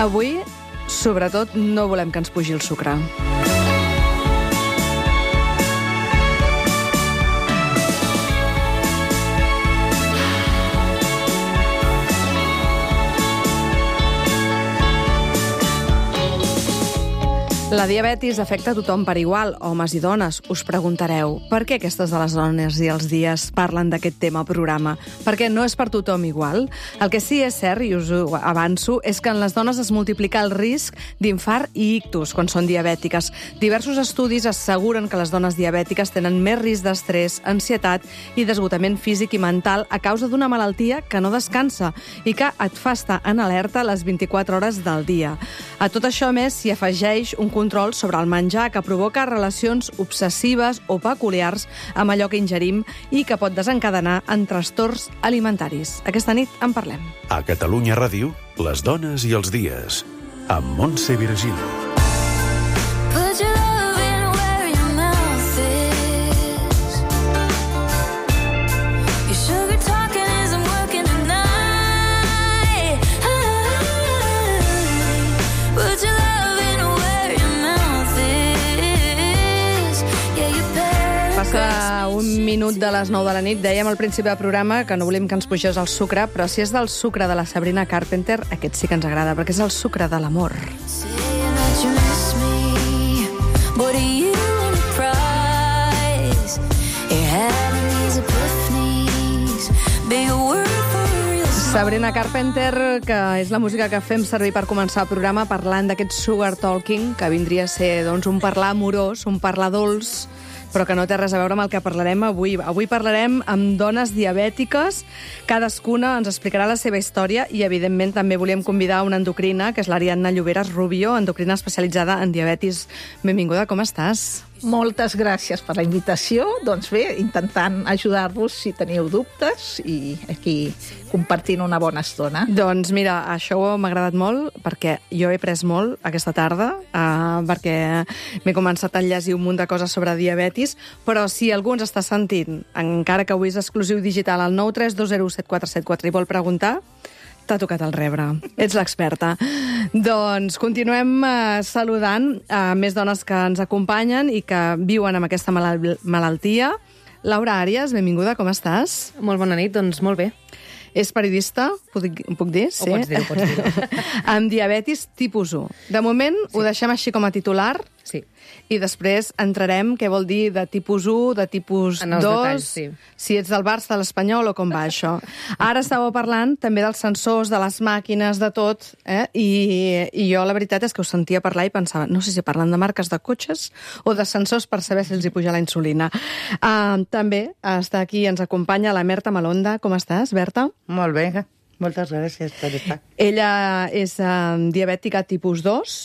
Avui, sobretot, no volem que ens pugi el sucre. La diabetis afecta a tothom per igual, homes i dones. Us preguntareu, per què aquestes de les dones i els dies parlen d'aquest tema al programa? Perquè no és per tothom igual. El que sí és cert, i us ho avanço, és que en les dones es multiplica el risc d'infart i ictus quan són diabètiques. Diversos estudis asseguren que les dones diabètiques tenen més risc d'estrès, ansietat i desgotament físic i mental a causa d'una malaltia que no descansa i que et fa estar en alerta les 24 hores del dia. A tot això, a més, s'hi afegeix un control sobre el menjar que provoca relacions obsessives o peculiars amb allò que ingerim i que pot desencadenar en trastorns alimentaris. Aquesta nit en parlem. A Catalunya Ràdio, les dones i els dies, amb Montse Virgili. Passa un minut de les 9 de la nit. Dèiem al principi del programa que no volem que ens pugés el sucre, però si és del sucre de la Sabrina Carpenter, aquest sí que ens agrada, perquè és el sucre de l'amor. Sabrina Carpenter, que és la música que fem servir per començar el programa parlant d'aquest sugar talking, que vindria a ser doncs, un parlar amorós, un parlar dolç, però que no té res a veure amb el que parlarem avui. Avui parlarem amb dones diabètiques. Cadascuna ens explicarà la seva història i, evidentment, també volíem convidar una endocrina, que és l'Ariadna Lloberas Rubio, endocrina especialitzada en diabetis. Benvinguda, com estàs? Moltes gràcies per la invitació. Doncs bé, intentant ajudar-vos si teniu dubtes i aquí compartint una bona estona. Doncs mira, això m'ha agradat molt perquè jo he après molt aquesta tarda perquè m'he començat a llegir un munt de coses sobre diabetis, però si algú ens està sentint, encara que avui és exclusiu digital, al 932017474 i vol preguntar, t'ha tocat el rebre. Ets l'experta. Doncs continuem saludant més dones que ens acompanyen i que viuen amb aquesta malaltia. Laura Àrias, benvinguda, com estàs? Molt bona nit, doncs molt bé. És periodista, puc dir? Sí. Ho pots dir. Amb diabetis tipus 1. De moment ho deixem així com a titular. Sí. I després entrarem què vol dir de tipus 1, de tipus 2, detalls, sí. Si ets del Barça, de l'Espanyol o com va això. Ara estàveu parlant també dels sensors, de les màquines, de tot, i jo la veritat és que us sentia parlar i pensava, no sé si parlen de marques de cotxes o de sensors per saber si els hi puja la insulina. També està aquí, ens acompanya la Berta Malonda. Com estàs, Berta? Molt bé, moltes gràcies per estar. Ella és diabètica tipus 2.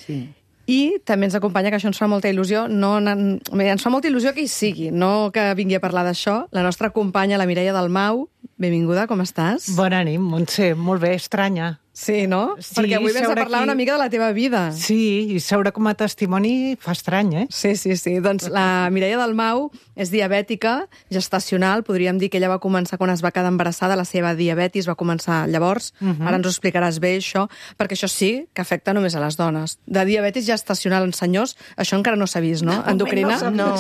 Sí. I també ens acompanya, que això ens fa molta il·lusió, ens fa molta il·lusió que hi sigui, no que vingui a parlar d'això, la nostra companya, la Mireia Dalmau. Benvinguda, com estàs? Bona nit, Montse, molt bé, estranya. Sí, no? Sí, perquè avui vens a parlar una mica de la teva vida. Sí, i seure com a testimoni fa estrany, eh? Sí. Doncs la Mireia Dalmau és diabètica gestacional. Podríem dir que ella va començar quan es va quedar embarassada, la seva diabetis va començar llavors. Ara ens ho explicaràs bé, això, perquè això sí que afecta només a les dones. De diabetis gestacional en senyors, això encara no s'ha vist, no? Endocrina? No.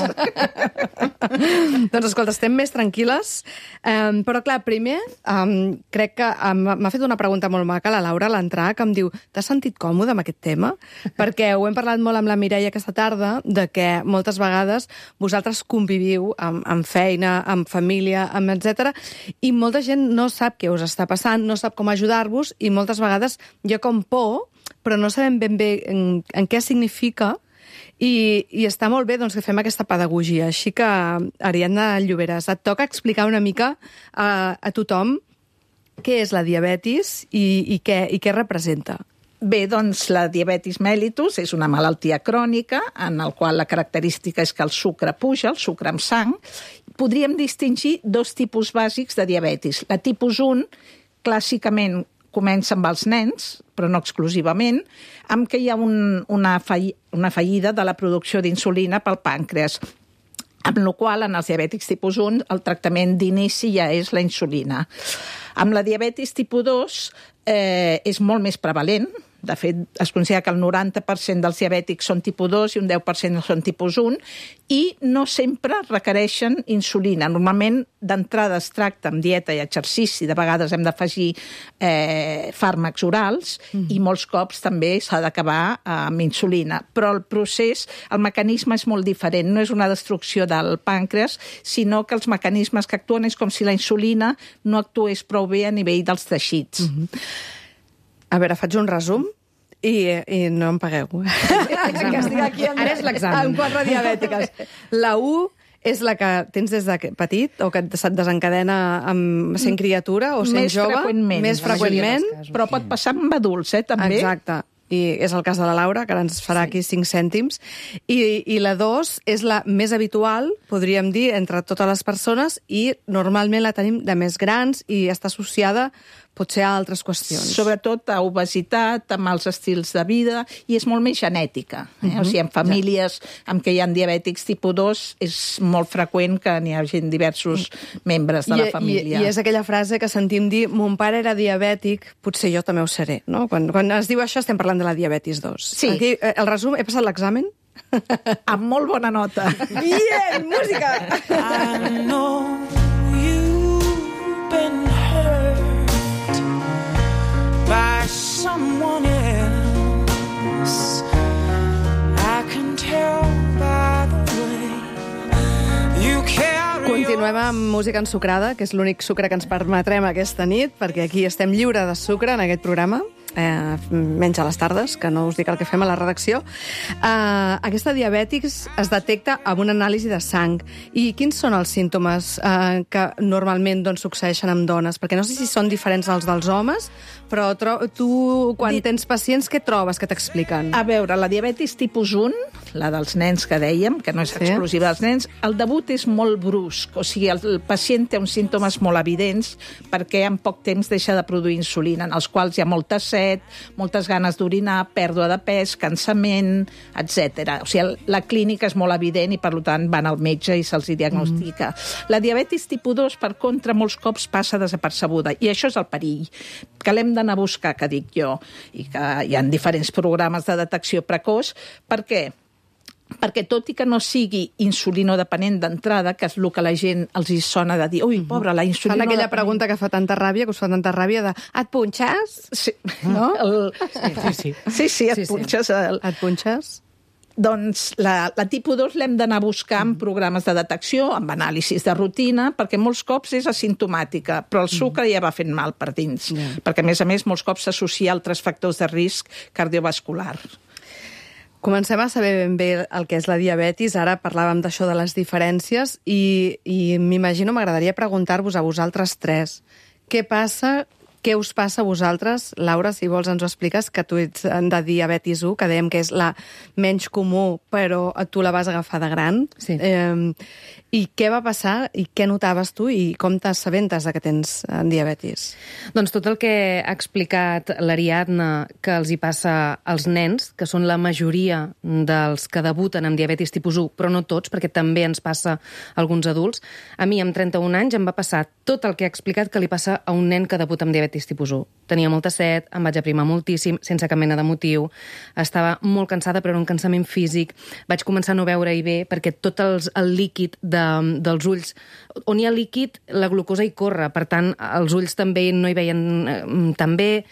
Doncs escolta, estem més tranquil·les. Però clar, primer, crec que m'ha fet una pregunta molt maca, la Laura, a l'entrar, que em diu, t'has sentit còmode amb aquest tema? Perquè ho hem parlat molt amb la Mireia aquesta tarda, de que moltes vegades vosaltres conviviu amb feina, amb família, amb etc. I molta gent no sap què us està passant, no sap com ajudar-vos, i moltes vegades hi ha com por, però no sabem ben bé en què significa, i està molt bé doncs, que fem aquesta pedagogia. Així que, Ariadna Lloberas, et toca explicar una mica a tothom què és la diabetis i què representa. Bé, doncs la diabetis mellitus és una malaltia crònica en la qual la característica és que el sucre puja, el sucre amb sang. Podríem distingir dos tipus bàsics de diabetis. La tipus 1, clàssicament, comença amb els nens, però no exclusivament, amb què hi ha una fallida de la producció d'insulina pel pàncreas, amb la qual en els diabètics tipus 1 el tractament d'inici ja és la insulina. Amb la diabetis tipus 2 és molt més prevalent, De fet, es considera que el 90% dels diabètics són tipus 2 i un 10% són tipus 1, i no sempre requereixen insulina. Normalment, d'entrada es tracta amb dieta i exercici, de vegades hem d'afegir fàrmacs orals, i molts cops també s'ha d'acabar amb insulina. Però el procés, el mecanisme és molt diferent. No és una destrucció del pàncreas, sinó que els mecanismes que actuen és com si la insulina no actués prou bé a nivell dels teixits. A veure, faig un resum i no em pagueu. Que estic aquí Ara és l'examen. amb 4 diabètiques. La 1 és la que tens des de petit o que se't desencadena sent criatura o sent jove? Freqüentment. Més freqüentment. Però pot passar amb adults, també. Exacte. I és el cas de la Laura, que ara ens farà aquí 5 cèntims. I la 2 és la més habitual, podríem dir, entre totes les persones, i normalment la tenim de més grans i està associada potser a altres qüestions. Sobretot a obesitat, amb els estils de vida, i és molt més genètica. O sigui, en famílies amb què hi ha diabètics tipus 2 és molt freqüent que n'hi hagi diversos membres de la família. I és aquella frase que sentim dir, mon pare era diabètic, potser jo també ho seré, no? Quan es diu això estem parlant de la diabetis 2. Sí. Aquí, el resum, he passat l'examen? Amb molt bona nota. Bien, música! I know you've been hurt by someone else. I can tell by the way you carry. Continuem amb música ensucrada, que és l'únic sucre que ens permetrem aquesta nit, perquè aquí estem lliure de sucre en aquest programa. Menys a les tardes, que no us dic el que fem a la redacció. Aquesta diabètics es detecta amb una anàlisi de sang. I quins són els símptomes que normalment succeeixen amb dones? Perquè no sé si són diferents als dels homes, però tu, quan tens pacients, què trobes que t'expliquen? A veure, la diabetis tipus 1, la dels nens que dèiem, que no és exclusiva dels nens, el debut és molt brusc. O sigui, el pacient té uns símptomes molt evidents perquè en poc temps deixa de produir insulina, en els quals hi ha molta set, moltes ganes d'orinar, pèrdua de pes, cansament, etc. O sigui, la clínica és molt evident i, per tant, van al metge i se'ls diagnostica. La diabetis tipus 2, per contra, molts cops passa desapercebuda, i això és el perill, que l'hem d'anar a buscar, que dic jo, i que hi ha diferents programes de detecció precoç. Per què? Perquè tot i que no sigui insulinodependent d'entrada, que és el que la gent els hi sona de dir, ui, pobra, la insulinodependent... Fan aquella pregunta que fa tanta ràbia, que us fa tanta ràbia, de et punxes? Sí, no? Sí, et punxes. Et punxes? Doncs la tipus 2 l'hem d'anar a buscar en programes de detecció, amb anàlisis de rutina, perquè molts cops és asimptomàtica, però el sucre ja va fent mal per dins, perquè, a més, molts cops s'associa a altres factors de risc cardiovascular. Comencem a saber ben bé el que és la diabetis. Ara parlàvem d'això de les diferències i m'imagino, m'agradaria preguntar-vos a vosaltres tres què passa, què us passa a vosaltres? Laura, si vols ens ho expliques, que tu ets de diabetis 1, que dèiem que és la menys comú, però tu la vas agafar de gran. Sí. I què va passar i què notaves tu i com t'assabentes que tens diabetis? Doncs tot el que ha explicat l'Ariadna que els hi passa als nens, que són la majoria dels que debuten amb diabetis tipus 1, però no tots, perquè també ens passa a alguns adults. A mi, amb 31 anys, em va passar tot el que ha explicat que li passa a un nen que debuta amb diabetis tipus 1. Tenia molta set, em vaig aprimar moltíssim, sense cap mena de motiu. Estava molt cansada, però era un cansament físic. Vaig començar a no veure-hi bé, perquè tot el líquid dels ulls, on hi ha líquid, la glucosa hi corre, per tant, els ulls també no hi veien tan bé,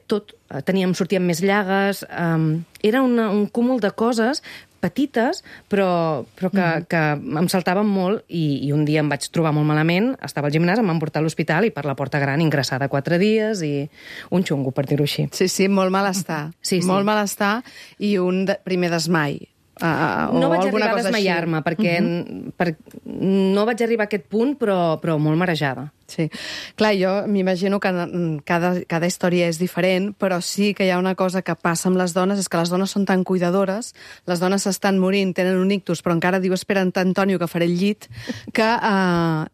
sortien més llagues, era un cúmul de coses petites, però que em saltaven molt i un dia em vaig trobar molt malament, estava al gimnàs, em van portar a l'hospital i per la porta gran ingressada 4 dies i un xungo, per dir-ho així. Sí, molt malestar. Sí. Molt malestar i un primer desmai. No vaig arribar a desmaiar-me, perquè no vaig arribar a aquest punt, però molt marejada. Sí. Clar, jo m'imagino que cada història és diferent, però sí que hi ha una cosa que passa amb les dones, és que les dones són tan cuidadores, les dones s'estan morint, tenen un ictus, però encara diu, espera, Antonio, que faré el llit, que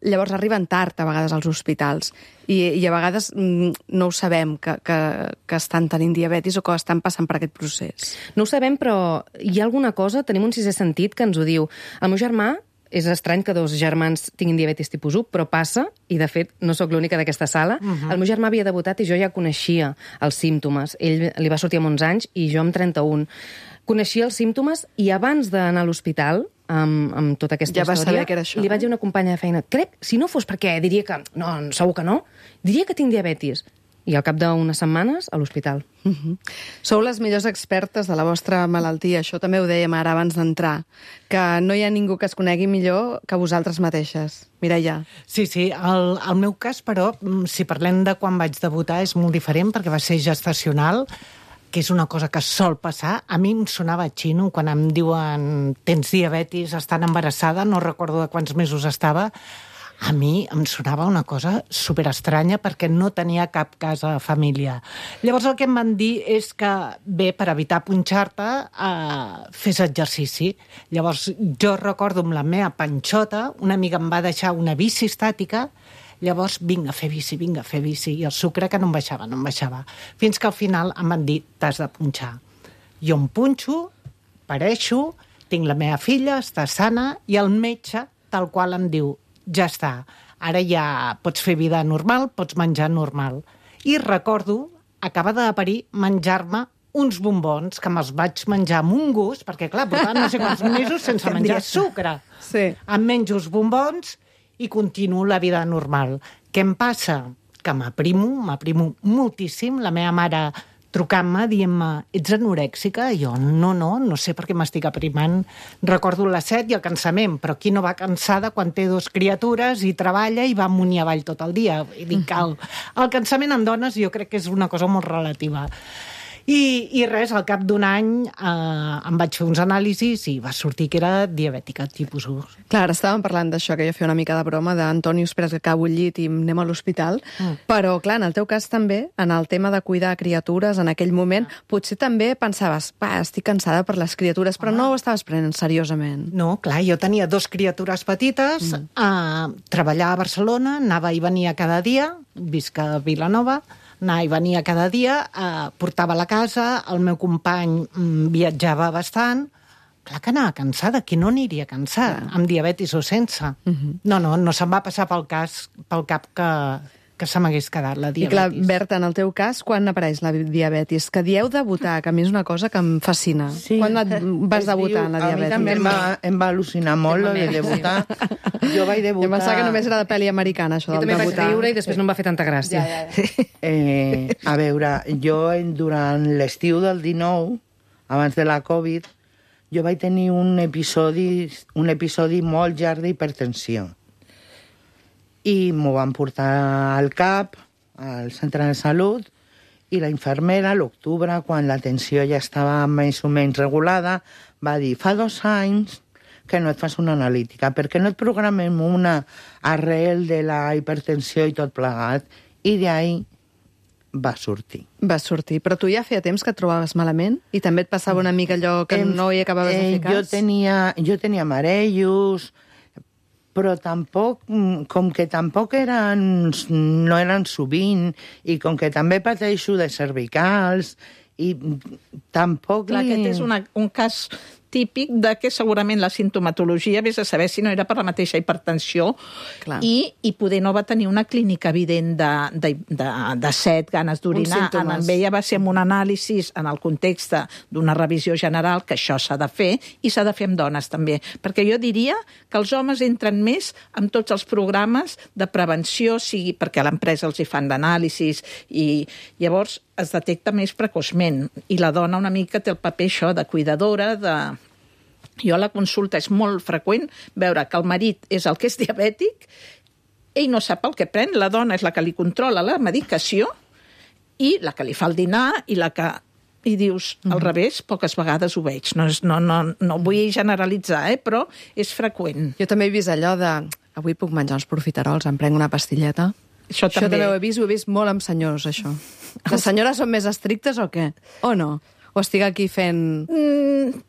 llavors arriben tard, a vegades, als hospitals. I a vegades no ho sabem, que estan tenint diabetis o que estan passant per aquest procés. No ho sabem, però hi ha alguna cosa, tenim un sisè sentit que ens ho diu. El meu germà és estrany que 2 germans tinguin diabetis tipus 1, però passa, i de fet no sóc l'única d'aquesta sala. El meu germà havia debutat i jo ja coneixia els símptomes. Ell li va sortir amb 11 anys i jo amb 31. Coneixia els símptomes i abans d'anar a l'hospital, amb tota aquesta Ja vas història, saber que era això, li vaig dir a una companya de feina, crec, si no fos perquè diria que, no, segur que no, diria que tinc diabetis. I al cap d'unes setmanes, a l'hospital. Sou les millors expertes de la vostra malaltia, això també ho dèiem ara abans d'entrar, que no hi ha ningú que es conegui millor que vosaltres mateixes. Mireia. Sí, el meu cas, però, si parlem de quan vaig debutar, és molt diferent, perquè va ser gestacional, que és una cosa que sol passar. A mi em sonava xino quan em diuen tens diabetis, estant embarassada, no recordo de quants mesos estava. A mi em sonava una cosa superestranya perquè no tenia cap cas a família. Llavors el que em van dir és que, bé, per evitar punxar-te, fes exercici. Llavors jo recordo amb la meva panxota, una amiga em va deixar una bici estàtica. Llavors, vinga a fer bici, i el sucre que no em baixava. Fins que al final em van dir, t'has de punxar. Jo em punxo, pareixo, tinc la meva filla, està sana, i el metge, tal qual em diu, ja està, ara ja pots fer vida normal, pots menjar normal. I recordo, acabada de parir, menjar-me uns bombons, que me'ls vaig menjar amb un gust, perquè clar, portava no sé quants mesos sense menjar sucre. Sí. Em menjo uns bombons i continuo la vida normal. Què em passa? Que m'aprimo moltíssim. La meva mare trucant-me, dient-me, ets anorèxica? I jo, no sé per què m'estic aprimant. Recordo la set i el cansament, però qui no va cansada quan té 2 criatures i treballa i va amunt i avall tot el dia? I dic, el cansament en dones jo crec que és una cosa molt relativa. I res, al cap d'un any em vaig fer uns anàlisis i va sortir que era diabètica tipus 1. Clar, ara estàvem parlant d'això, que jo feia una mica de broma, d'Antoni, espera't que acabo el llit i anem a l'hospital, però clar, en el teu cas també, en el tema de cuidar criatures, en aquell moment, potser també pensaves, estic cansada per les criatures, però no ho estaves prenent seriosament. No, clar, jo tenia 2 criatures petites, treballava a Barcelona, anava i venia cada dia, visc a Vilanova, anava i venia cada dia, portava a la casa, el meu company viatjava bastant. Clar que anava cansada, qui no aniria cansat, amb diabetis o sense. No se'm va passar pel cap que se m'hagués quedat la diabetis. I clar, Berta, en el teu cas, quan apareix la diabetis? Que dieu debutar, que a mi és una cosa que em fascina. Sí. Quan vas debutar en la diabetis? A mi també em va al·lucinar molt, lo de debutar. Jo vaig debutar... Jo pensava que només era de pel·li americana, això del Jo també debutar. vaig riure i després no em va fer tanta gràcia. A veure, jo durant l'estiu del 19, abans de la Covid, jo vaig tenir un episodi molt llarg d'hipertensió. I m'ho van portar al CAP, al centre de salut, i la infermera, a l'octubre, quan la tensió ja estava més o menys regulada, va dir, fa 2 anys que no et fas una analítica, perquè no et programem una arrel de la hipertensió i tot plegat. I d'ahí va sortir. Va sortir. Però tu ja feia temps que et trobaves malament? I també et passava una mica allò que no hi acabaves de fer cas? Jo tenia marejos, però tampoc, com que tampoc no eren sovint, i com que també pateixo de cervicals, i tampoc... Clar, aquest és un cas típic de que segurament la sintomatologia, vés a saber si no era per la mateixa hipertensió, i poder no va tenir una clínica evident de set, ganes d'orinar. En ella va ser amb un anàlisi en el context d'una revisió general, que això s'ha de fer, i s'ha de fer amb dones també. Perquè jo diria que els homes entren més amb tots els programes de prevenció, sigui perquè a l'empresa els hi fan d'anàlisis, i llavors es detecta més precoçment. I la dona una mica té el paper això de cuidadora, Jo a la consulta és molt freqüent veure que el marit és el que és diabètic, ell no sap el que pren, la dona és la que li controla la medicació i la que li fa el dinar i la que... I dius, al revés, poques vegades ho veig. No vull generalitzar, però és freqüent. Jo també he vist allò de... Avui puc menjar uns profiterols, em prenc una pastilleta. Això també ho he vist molt amb senyors, això. Les senyores són més estrictes o què? O no? O estic aquí fent...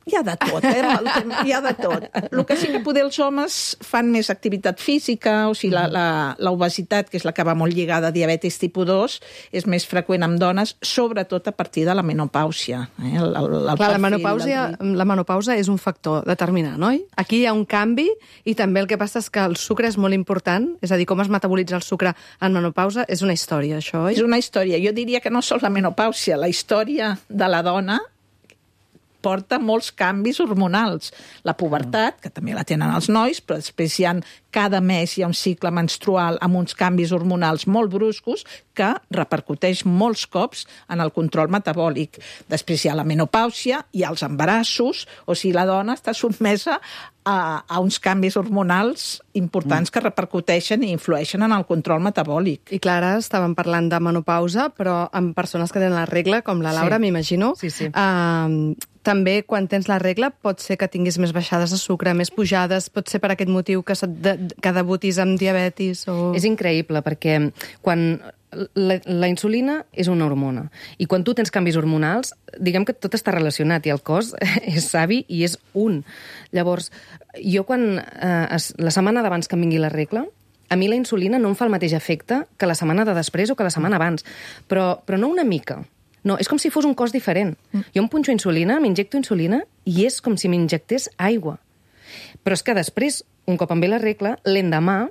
Hi ha de tot, hi ha de tot. El que sí que poder els homes fan més activitat física, o sigui, la obesitat, que és la que va molt lligada a diabetis tipus 2, és més freqüent amb dones, sobretot a partir de la menopàusia. Clar, la menopausa és un factor determinant, oi? Aquí hi ha un canvi i també el que passa és que el sucre és molt important, és a dir, com es metabolitza el sucre en menopausa és una història, això, oi? És una història. Jo diria que no sols la menopàusia, la història de la dona porta molts canvis hormonals. La pubertat, que també la tenen els nois, però després cada mes hi ha un cicle menstrual amb uns canvis hormonals molt bruscos que repercuteix molts cops en el control metabòlic. Després hi ha la menopàusia, hi ha els embarassos, o sigui, la dona està sotmesa a uns canvis hormonals importants que repercuteixen i influeixen en el control metabòlic. I Clara, estàvem parlant de menopausa, però amb persones que tenen la regla, com la Laura, m'imagino. Sí. També, quan tens la regla, pot ser que tinguis més baixades de sucre, més pujades, pot ser per aquest motiu que debutis amb diabetis o... És increïble, perquè quan la insulina és una hormona, i quan tu tens canvis hormonals, diguem que tot està relacionat, i el cos és savi i és un. Llavors, jo quan la setmana d'abans que em vingui la regla, a mi la insulina no em fa el mateix efecte que la setmana de després o que la setmana abans, però no una mica. No, és com si fos un cos diferent. Jo em punxo insulina, m'injecto insulina, i és com si m'injectés aigua. Però és que després, un cop em ve la regla, l'endemà,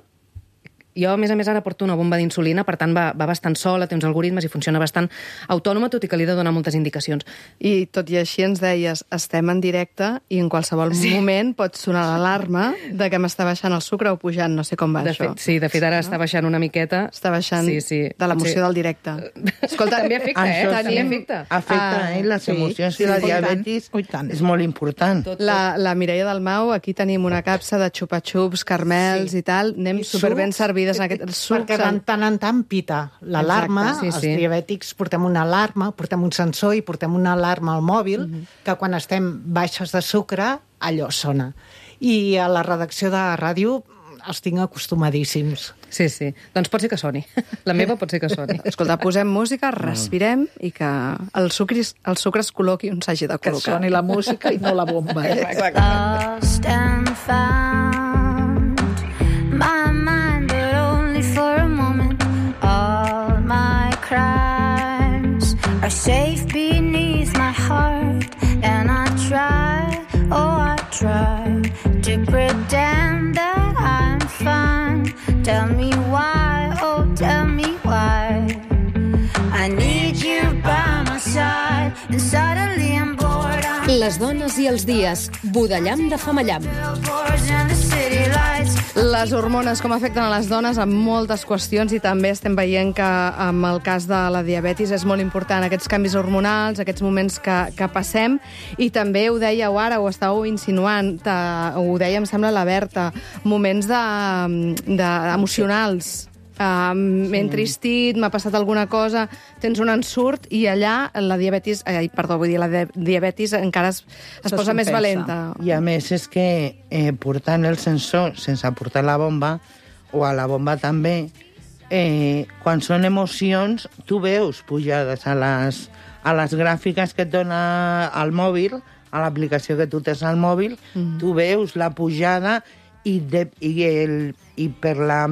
jo, a més, ara porto una bomba d'insulina, per tant, va bastant sola, té uns algoritmes i funciona bastant autònoma, tot i que li he de donar moltes indicacions. I tot i així ens deies, estem en directe i en qualsevol moment pot sonar l'alarma de que m'està baixant el sucre o pujant, no sé com va això. De fet, ara està baixant una miqueta. Està baixant de l'emoció del directe. Escolta, també afecta, També afecta. Afecta, les emocions i la diabetis és molt important. La Mireia Dalmau, aquí tenim una capsa de xupa-xups, carmels i tal, anem superben servits. Perquè de tant en tant pita l'alarma, els diabètics portem una alarma, portem un sensor i portem una alarma al mòbil, que quan estem baixes de sucre, allò sona. I a la redacció de ràdio els tinc acostumadíssims. Sí. Doncs pot ser que soni. La meva pot ser que soni. Escolta, posem música, respirem i que el sucre es col·loqui on s'hagi de col·locar. Que soni la música i no la bomba, Lost and found, my mind, but only for a moment. All my crimes are safe beneath my heart, and I try to pretend that I'm fine. Tell me why, oh tell me why. I need you by my side, and suddenly I'm bored. Les dones i els dies, Budellam de Femallam. Les hormones, com afecten a les dones en moltes qüestions, i també estem veient que amb el cas de la diabetis és molt important aquests canvis hormonals, aquests moments que passem, i també ho dèieu ara, ho estàveu insinuant, ho deia, em sembla, la Berta, moments emocionals. M'he entristit, m'ha passat alguna cosa, tens un ensurt i allà la diabetis encara es posa més valenta. I a més és que portant el sensor sense portar la bomba, o a la bomba també, quan són emocions, tu veus pujades a les gràfiques que et dona el mòbil, a l'aplicació que tu tens al mòbil, tu veus la pujada i per la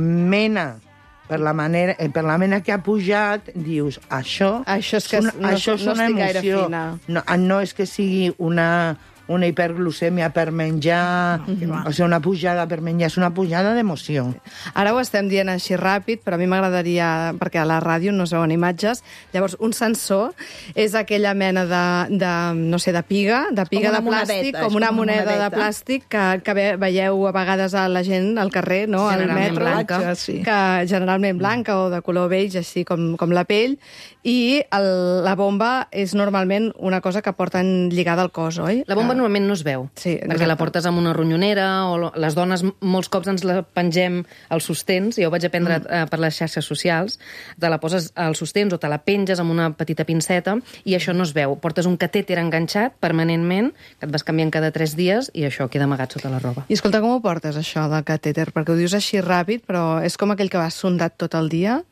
mena que ha pujat, dius, això és una emoció. No és que sigui una hiperglucèmia per menjar, o sigui, una pujada per menjar, és una pujada d'emoció. Ara ho estem dient així ràpid, però a mi m'agradaria, perquè a la ràdio no es veuen imatges, llavors un sensor és aquella mena de piga de plàstic, com una moneda de plàstic que veieu a vegades a la gent al carrer, no? Al metro, que generalment blanca o de color beige, així com la pell, i la bomba és normalment una cosa que porten lligada al cos, oi? La bomba normalment no es veu, perquè la portes amb una ronyonera, o les dones molts cops ens la pengem als sostens, jo ho vaig aprendre per les xarxes socials, te la poses als sostens o te la penges amb una petita pinceta, i això no es veu. Portes un catèter enganxat permanentment, que et vas canviant cada 3 dies, i això queda amagat sota la roba. I escolta, com ho portes, això del catèter? Perquè ho dius així ràpid, però és com aquell que va sondat tot el dia.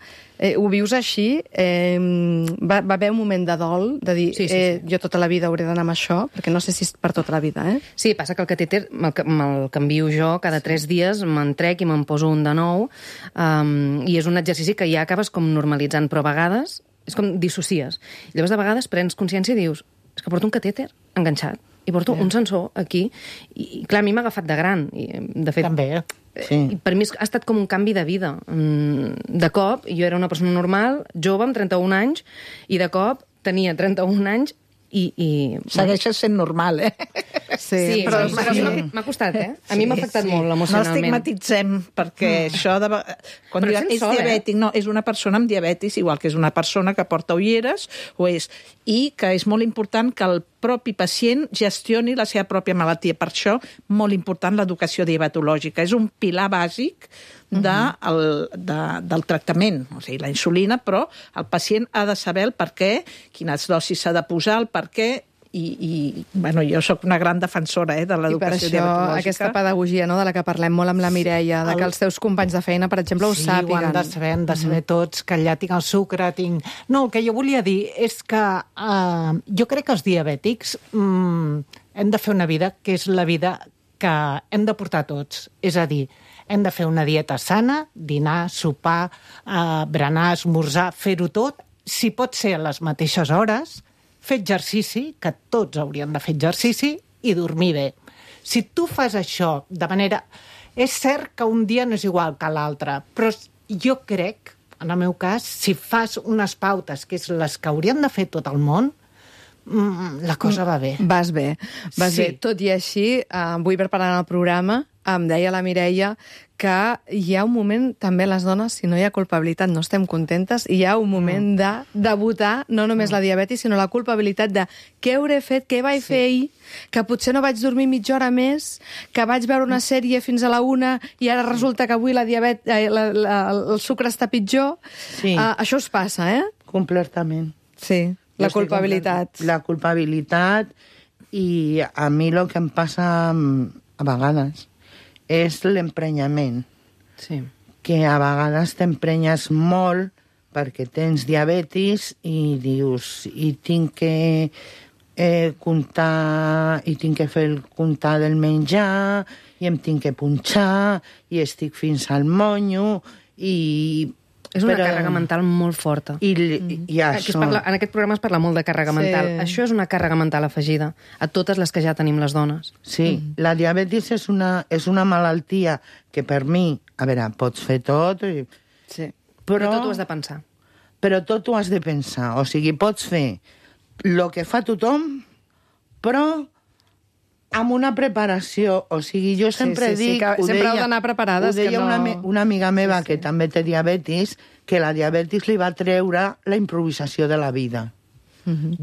Ho vius així? Va haver un moment de dol, de dir, Sí. jo tota la vida hauré d'anar amb això, perquè no sé si és per tota la vida, eh? Sí, passa que el catèter me'l canvio jo cada 3 dies, me'n trec i me'n poso un de nou, i és un exercici que ja acabes com normalitzant, però a vegades és com dissocies. I llavors de vegades prens consciència i dius, és que porto un catèter enganxat, i porto un sensor aquí, i clar, a mi m'ha agafat de gran, i de fet... També. I per mi ha estat com un canvi de vida. De cop, jo era una persona normal, jove, amb 31 anys, i de cop tenia 31 anys i... Segueixes sent normal, eh? Sí, però m'ha costat, eh? A mi m'ha afectat molt No emocionalment. estigmatitzem, perquè això de... Quan Però diuen, ets és sol, diabètic, no, és una persona amb diabetis, igual que és una persona que porta ulleres, o és... I que és molt important que el propi pacient gestioni la seva pròpia malaltia. Per això, molt important l'educació diabetològica. És un pilar bàsic del tractament, o sigui, la insulina, però el pacient ha de saber el per què, quines dosis s'ha de posar, el per què, i bueno, jo sóc una gran defensora de I per l'educació això diabetològica. aquesta pedagogia, no?, de la que parlem molt amb la Mireia, de que els teus companys de feina, per exemple, ho Sí, sàpiguen. ho han de saber tots, que allà tinc el sucre, tinc... No, el que jo volia dir és que jo crec que els diabètics hem de fer una vida que és la vida que hem de portar tots. És a dir, hem de fer una dieta sana, dinar, sopar, berenar, esmorzar, fer-ho tot, si pot ser a les mateixes hores, fer exercici, que tots haurien de fer exercici, i dormir bé. Si tu fas això de manera... És cert que un dia no és igual que l'altre, però jo crec, en el meu cas, si fas unes pautes, que és les que haurien de fer tot el món, la cosa va bé. Vas bé. Sí. Tot i així, avui preparant el programa, em deia la Mireia que hi ha un moment, també les dones, si no hi ha culpabilitat, no estem contentes, i hi ha un moment de debutar no només la diabetis, sinó la culpabilitat de què hauré fet, què vaig fer ahir, que potser no vaig dormir mitja hora més, que vaig veure una sèrie fins a la 1 i ara resulta que avui el sucre està pitjor. Sí. Això us passa, eh? Completament. Sí, la culpabilitat. La culpabilitat, i a mi el que em passa a vegades és l'emprenyament. Sí. Que a vegades t'emprenyes molt perquè tens diabetis i dius, i tinc que comptar, i tinc que fer el comptar del menjar, i em tinc que punxar, i estic fins al monyo, i... És una càrrega mental molt forta. I això... En aquest programa es parla molt de càrrega mental. Això és una càrrega mental afegida a totes les que ja tenim les dones. Sí, la diabetis és una malaltia que per mi, a veure, pots fer tot, Sí. Però tot ho has de pensar. Però tot ho has de pensar. O sigui, pots fer el que fa tothom, però amb una preparació. O sigui, jo sempre dic... que sempre heu d'anar preparades. Ho deia que no... una amiga meva que també té diabetis, que la diabetis li va treure la improvisació de la vida.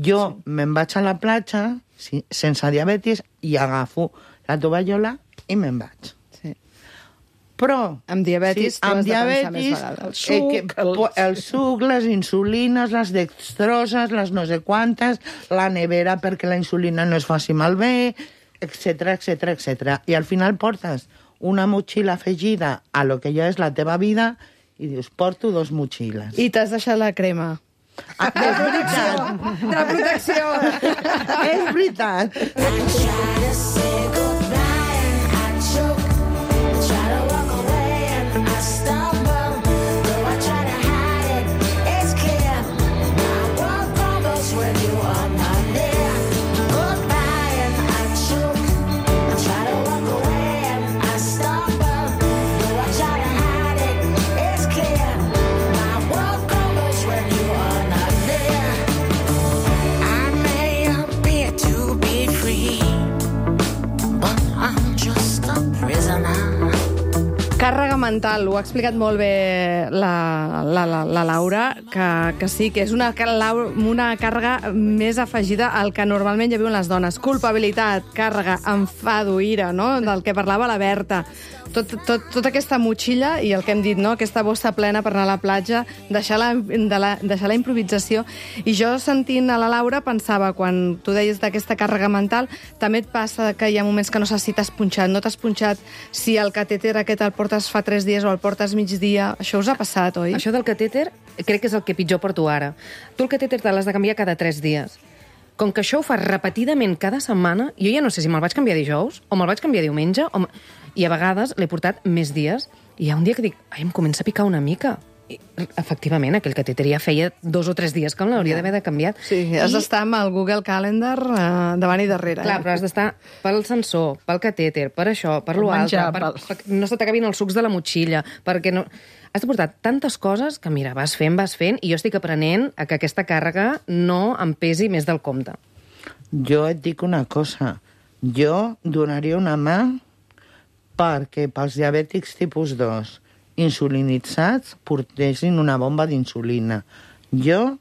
Jo me'n vaig a la platja sense diabetis i agafo la tovallola i me'n vaig. Sí. Però... Amb diabetis tu has de pensar més vegades. El suc, les insulines, les dextroses, les no sé quantes, la nevera perquè la insulina no es faci malbé, etc etc etc. I al final portes una motxilla afegida a lo que ja és la teva vida i dius, porto 2 motxilles. I t'has deixat la crema. Ah, és veritat. De protecció. És veritat. Càrrega mental, ho ha explicat molt bé la Laura, que sí, que és una càrrega més afegida al que normalment ja viuen les dones. Culpabilitat, càrrega, enfado, ira, no?, del que parlava la Berta. tota aquesta motxilla i el que hem dit, no? Aquesta bossa plena per anar a la platja, deixar la improvisació. I jo, sentint a la Laura, pensava, quan tu deies d'aquesta càrrega mental, també et passa que hi ha moments que no saps si t'has punxat, no t'has punxat, si el catèter aquest el portes fa 3 dies o el portes migdia. Això us ha passat, oi? Això del catèter crec que és el que pitjor porto ara. Tu el catèter te l'has de canviar cada 3 dies. Com que això ho fas repetidament cada setmana, jo ja no sé si me'l vaig canviar dijous o me'l vaig canviar diumenge, i a vegades l'he portat més dies, i hi ha un dia que dic, ai, em comença a picar una mica. I, efectivament, aquell catèter ja feia 2 o 3 dies que l'hauria d'haver canviat. Sí, has d'estar amb el Google Calendar davant i darrere. Clar, però has d'estar pel sensor, pel catèter, per això, per l'altre, per no se t'acabin els sucs de la motxilla, perquè no... Has de portar tantes coses que, mira, vas fent, i jo estic aprenent a que aquesta càrrega no em pesi més del compte. Jo et dic una cosa. Jo donaria una mà perquè pels diabètics tipus 2 insulinitzats portessin una bomba d'insulina. Jo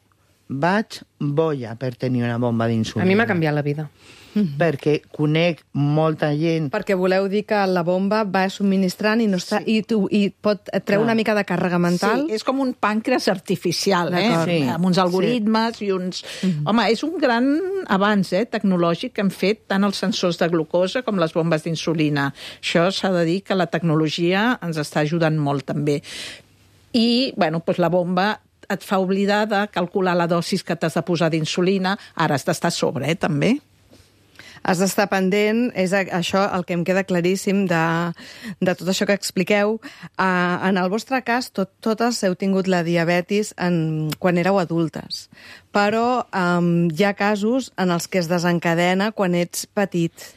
vaig boia per tenir una bomba d'insulina. A mi m'ha canviat la vida. Perquè conec molta gent... Perquè voleu dir que la bomba va subministrant i, no està, i pot treure una mica de càrrega mental? Sí, és com un pàncreas artificial, Sí. amb uns algoritmes i uns... Home, és un gran avanç tecnològic que han fet tant els sensors de glucosa com les bombes d'insulina. Això s'ha de dir que la tecnologia ens està ajudant molt, també. I, bueno, doncs la bomba et fa oblidar de calcular la dosis que t'has de posar d'insulina. Ara has d'estar a sobre, també. Has d'estar pendent, és això el que em queda claríssim de tot això que expliqueu. En el vostre cas, totes heu tingut la diabetis quan éreu adultes, però hi ha casos en els que es desencadena quan ets petit.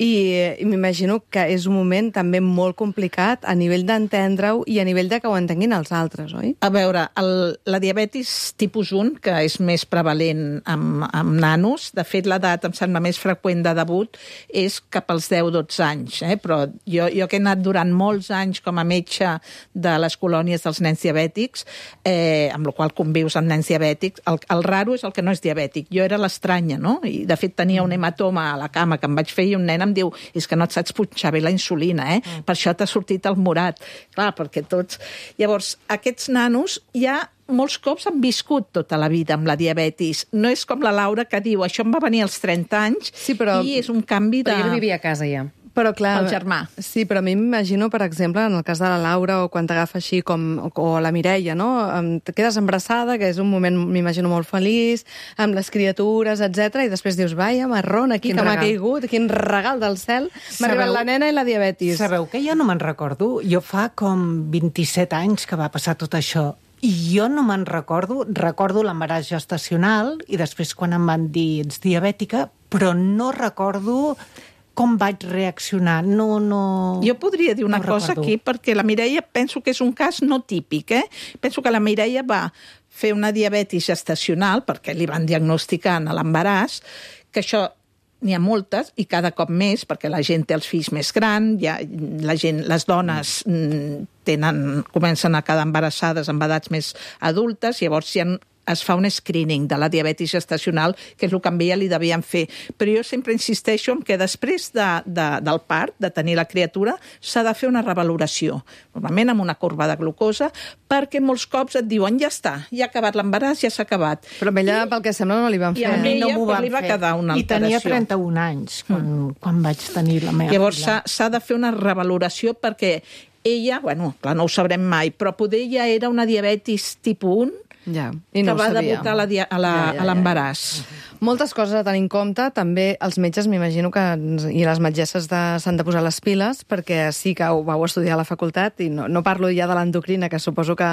I m'imagino que és un moment també molt complicat a nivell d'entendre-ho i a nivell de que ho entenguin els altres, oi? A veure, la diabetis tipus 1, que és més prevalent amb nanos, de fet l'edat em sembla més freqüent de debut, és cap als 10-12 anys, però jo que he anat durant molts anys com a metge de les colònies dels nens diabètics, amb la qual convius amb nens diabètics, el raro és el que no és diabètic. Jo era l'estranya, no? I de fet tenia un hematoma a la cama que em vaig fer i un nen em diu, és que no et saps punxar bé la insulina, per això t'ha sortit el morat. Clar, perquè tots... Llavors, aquests nanos ja molts cops han viscut tota la vida amb la diabetis. No és com la Laura que diu, això em va venir als 30 anys, sí, però... i és un canvi de... Però jo vivia a casa ja. Però clar, el germà. Sí, però a mi m'imagino, per exemple, en el cas de la Laura o quan t'agafa així o la Mireia, no? Te quedes embarassada, que és un moment, m'imagino, molt feliç, amb les criatures, etc. I després dius, vaja, marrón, aquí, que m'ha caigut, quin regal del cel. M'ha arribat la nena i la diabetis. Sabeu que jo no me'n recordo? Jo fa com 27 anys que va passar tot això. I jo no me'n recordo l'embaràs gestacional i després quan em van dir ets diabètica, però no recordo com vaig reaccionar. No. Jo podria dir una cosa recordo. aquí, perquè la Mireia penso que és un cas no típic. Penso que la Mireia va fer una diabetis gestacional, perquè li van diagnosticar en l'embaràs, que això n'hi ha moltes, i cada cop més, perquè la gent té els fills més grans, les dones comencen a quedar embarassades amb edats més adultes, llavors es fa un screening de la diabetis gestacional, que és el que amb ella li devien fer. Però jo sempre insisteixo en que després del part, de tenir la criatura, s'ha de fer una revaloració, normalment amb una corba de glucosa, perquè molts cops et diuen, ja està, ja ha acabat l'embaràs, ja s'ha acabat. Però amb ella, pel que sembla, no li van fer. I a ella li va quedar una alteració. I tenia 31 anys quan vaig tenir la meva Llavors filla. s'ha de fer una revaloració perquè ella, bueno, clar, no ho sabrem mai, però poder ja era una diabetis tipus 1, i no que va debutar a l'embaràs. Moltes coses a tenir en compte. També els metges, m'imagino que i les metgesses s'han de posar les piles, perquè sí que ho vau estudiar a la facultat, i no parlo ja de l'endocrina, que suposo que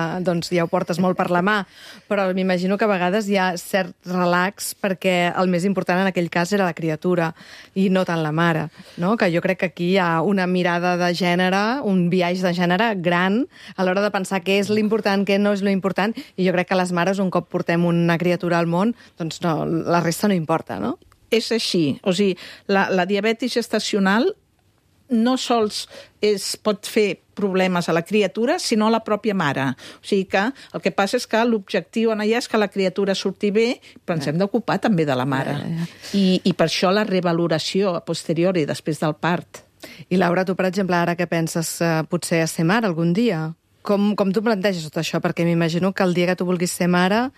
ja ho portes molt per la mà, però m'imagino que a vegades hi ha cert relax, perquè el més important en aquell cas era la criatura, i no tant la mare, no? Que jo crec que aquí hi ha una mirada de gènere, un biaix de gènere gran, a l'hora de pensar què és l'important, què no és l'important, i jo crec que les mares, un cop portem una criatura al món, doncs no, la resta no importa, no? És així. O sigui, la diabetis gestacional no sols pot fer problemes a la criatura, sinó a la pròpia mare. O sigui que el que passa és que l'objectiu en allà és que la criatura surti bé, però ens hem d'ocupar també de la mare. I per això la revaloració a posteriori, després del part. I Laura, tu, per exemple, ara que penses potser a ser mare algun dia? Com tu planteges tot això? Perquè m'imagino que el dia que tu vulguis ser mare...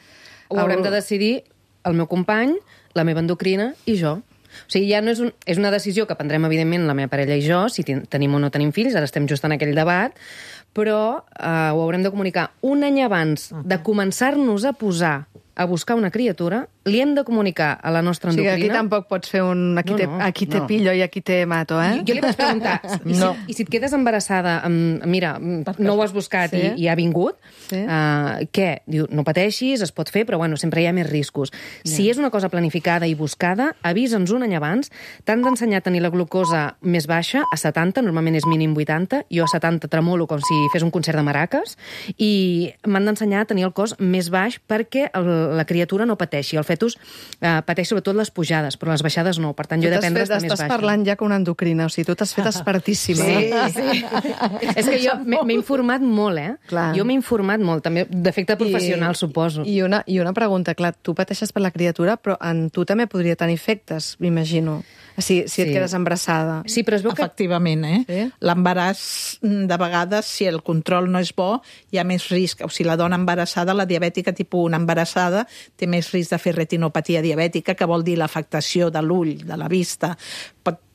Ho haurem de decidir el meu company, la meva endocrina i jo. O sigui, ja no és una decisió que prendrem, evidentment, la meva parella i jo, si tenim o no tenim fills, ara estem just en aquell debat, però ho haurem de comunicar un any abans de començar-nos a posar a buscar una criatura, li hem de comunicar a la nostra endocrina... O sigui, aquí tampoc pots fer un... Aquí te pillo i aquí te mato, eh? Jo li vaig preguntar, i si et quedes embarassada, mira, no ho has buscat i ha vingut, què? Diu, no pateixis, es pot fer, però bueno, sempre hi ha més riscos. Si és una cosa planificada i buscada, avisa'ns un any abans. T'han d'ensenyar a tenir la glucosa més baixa, a 70, normalment és mínim 80, jo a 70 tremolo com si fes un concert de maraques, i m'han d'ensenyar a tenir el cos més baix perquè la criatura no pateixi. El fetus pateix sobretot les pujades, però les baixades no. Per tant, jo he d'aprendre a estar més baixa. Estàs parlant ja com una endocrina, o sigui, tu t'has fet expertíssima. Sí. És que jo m'he informat molt, Clar. Jo m'he informat molt, també d'efecte professional, suposo. I una pregunta, clar, tu pateixes per la criatura, però en tu també podria tenir efectes, m'imagino. Si et quedes embarassada. Sí, però es veu que... Efectivament, Sí? L'embaràs, de vegades, si el control no és bo, hi ha més risc. O sigui, la dona embarassada, la diabètica tipus 1 embarassada, té més risc de fer retinopatia diabètica, que vol dir l'afectació de l'ull, de la vista,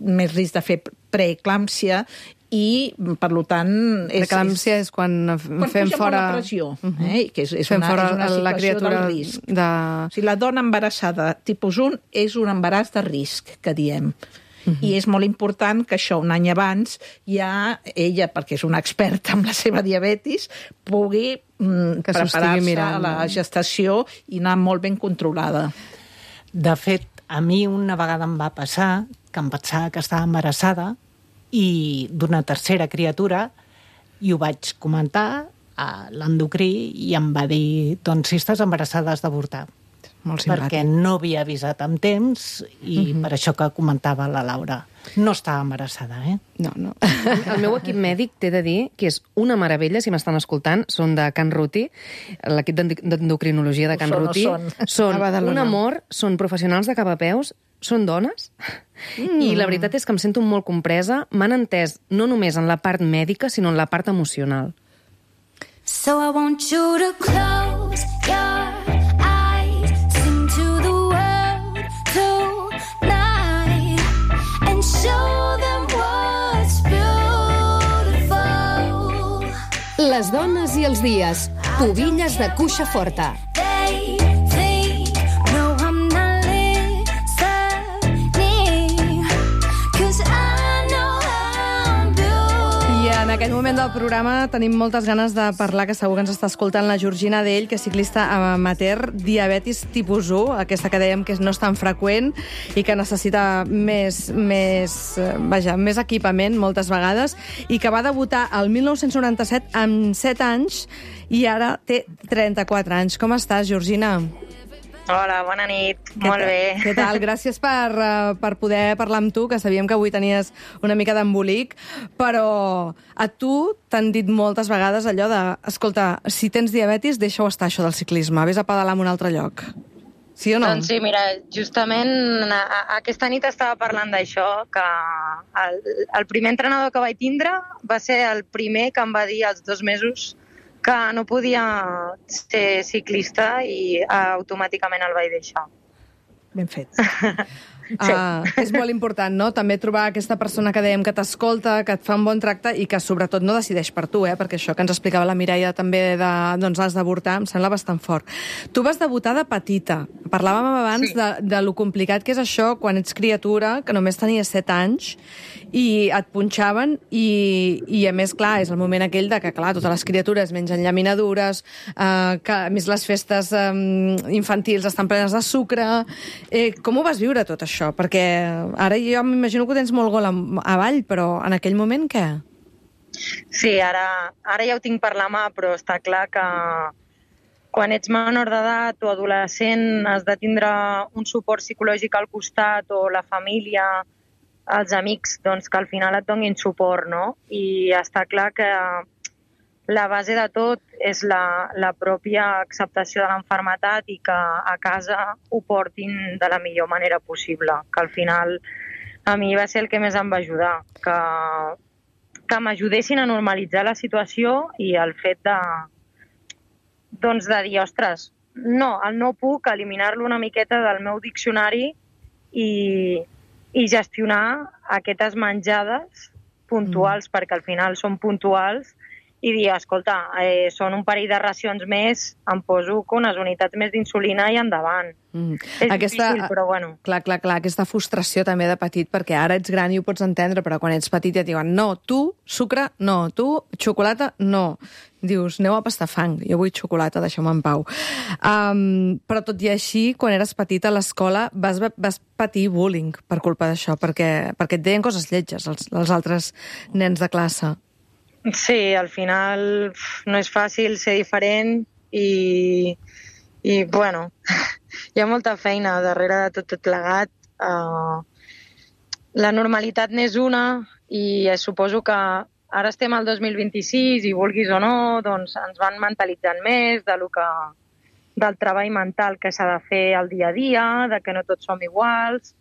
més risc de fer preeclàmpsia, i, per tant... L'eclàmpsia és quan fem fora... la pressió, que és fem una fora situació la criatura del risc. O sigui, la dona embarassada tipus 1 és un embaràs de risc, que diem. I és molt important que això, un any abans, ja ella, perquè és una experta en la seva diabetis, pugui preparar-se a la gestació i anar molt ben controlada. De fet, a mi una vegada em va passar que em pensava que estava embarassada i d'una tercera criatura, i ho vaig comentar a l'endocrí i em va dir, doncs si estàs embarassada has d'avortar. Molt simpàtic. Perquè no havia avisat amb temps i per això que comentava la Laura. No estava embarassada, No. El meu equip mèdic t'he de dir que és una meravella, si m'estan escoltant, són de Can Ruti, l'equip d'endocrinologia de Can Ruti. Són un amor, són professionals de cap a peus, són dones, i la veritat és que em sento molt compresa. M'han entès no només en la part mèdica, sinó en la part emocional. So I want you to close your eyes, sing to the world tonight, and show them what's beautiful. Les dones i els dies. Pubilles de cuixa forta. They think, no, I'm not listening, 'cause I know I'm beautiful. I en aquest moment del programa tenim moltes ganes de parlar, que segur que ens està escoltant la Georgina Dell, que és ciclista amateur, diabetis tipus 1, aquesta que dèiem que no és tan freqüent i que necessita més equipament moltes vegades, i que va debutar el 1997 amb 7 anys i ara té 34 anys. Com estàs, Georgina? Hola, bona nit. Molt bé. Què tal? Gràcies per poder parlar amb tu, que sabíem que avui tenies una mica d'embolic, però a tu t'han dit moltes vegades allò de, escolta, si tens diabetis, deixa-ho estar, això del ciclisme, vés a pedalar en un altre lloc. Sí o no? Doncs sí, mira, justament aquesta nit estava parlant d'això, que el primer entrenador que vaig tindre va ser el primer que em va dir als 2 mesos que no podia ser ciclista, i automàticament el vaig deixar. Ben fet. Sí. És molt important, no?, també trobar aquesta persona que dèiem que t'escolta, que et fa un bon tracte i que sobretot no decideix per tu, perquè això que ens explicava la Mireia també doncs has d'avortar, em sembla bastant fort. Tu vas debutar de petita. Parlàvem abans de lo complicat que és això quan ets criatura, que només tenies 7 anys, i et punxaven i a més, clar, és el moment aquell de que, clar, totes les criatures mengen llaminadures, que a més les festes infantils estan plenes de sucre. Com ho vas viure tot això? Perquè ara jo m'imagino que ho tens molt gol avall, però en aquell moment què? Sí, ara ja ho tinc per la mà, però està clar que quan ets menor d'edat o adolescent has de tindre un suport psicològic al costat, o la família, els amics, doncs que al final et donin suport, no? I està clar que la base de tot és la pròpia acceptació de l'enfermetat i que a casa ho portin de la millor manera possible, que al final a mi va ser el que més em va ajudar, que m'ajudessin a normalitzar la situació i el fet de dir, ostres, no, el no puc eliminar-lo una miqueta del meu diccionari i gestionar aquestes menjades puntuals, perquè al final són puntuals, i dir, escolta, són un parell de racions més, em poso unes unitats més d'insulina i endavant. És difícil, però bueno. Clar, aquesta frustració també de petit, perquè ara ets gran i ho pots entendre, però quan ets petit ja et diuen, no, tu, sucre, no, tu, xocolata, no. Dius, aneu a pastar fang, jo vull xocolata, deixeu-me en pau. Però tot i així, quan eres petit a l'escola, vas patir bullying per culpa d'això, perquè et deien coses lletges els altres nens de classe. Sí, al final no és fàcil ser diferent i bueno, hi ha molta feina darrere de tot plegat. La normalitat n'és una i suposo que ara estem al 2026 i vulguis o no, doncs ens van mentalitzant més del treball mental que s'ha de fer al dia a dia, de que no tots som iguals,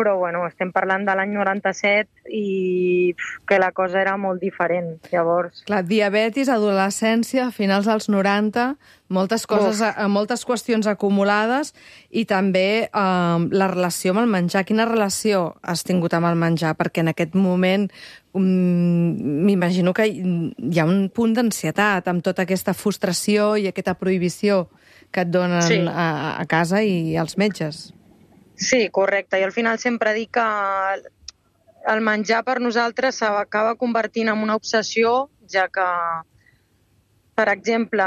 però bueno, estem parlant de l'any 97 i que la cosa era molt diferent, llavors. Clar, diabetis, adolescència, finals dels 90, moltes coses, moltes qüestions acumulades i també la relació amb el menjar. Quina relació has tingut amb el menjar? Perquè en aquest moment m'imagino que hi ha un punt d'ansietat amb tota aquesta frustració i aquesta prohibició que et donen a casa i als metges. Sí, correcte. I al final sempre dic que el menjar per nosaltres s'acaba convertint en una obsessió, ja que, per exemple,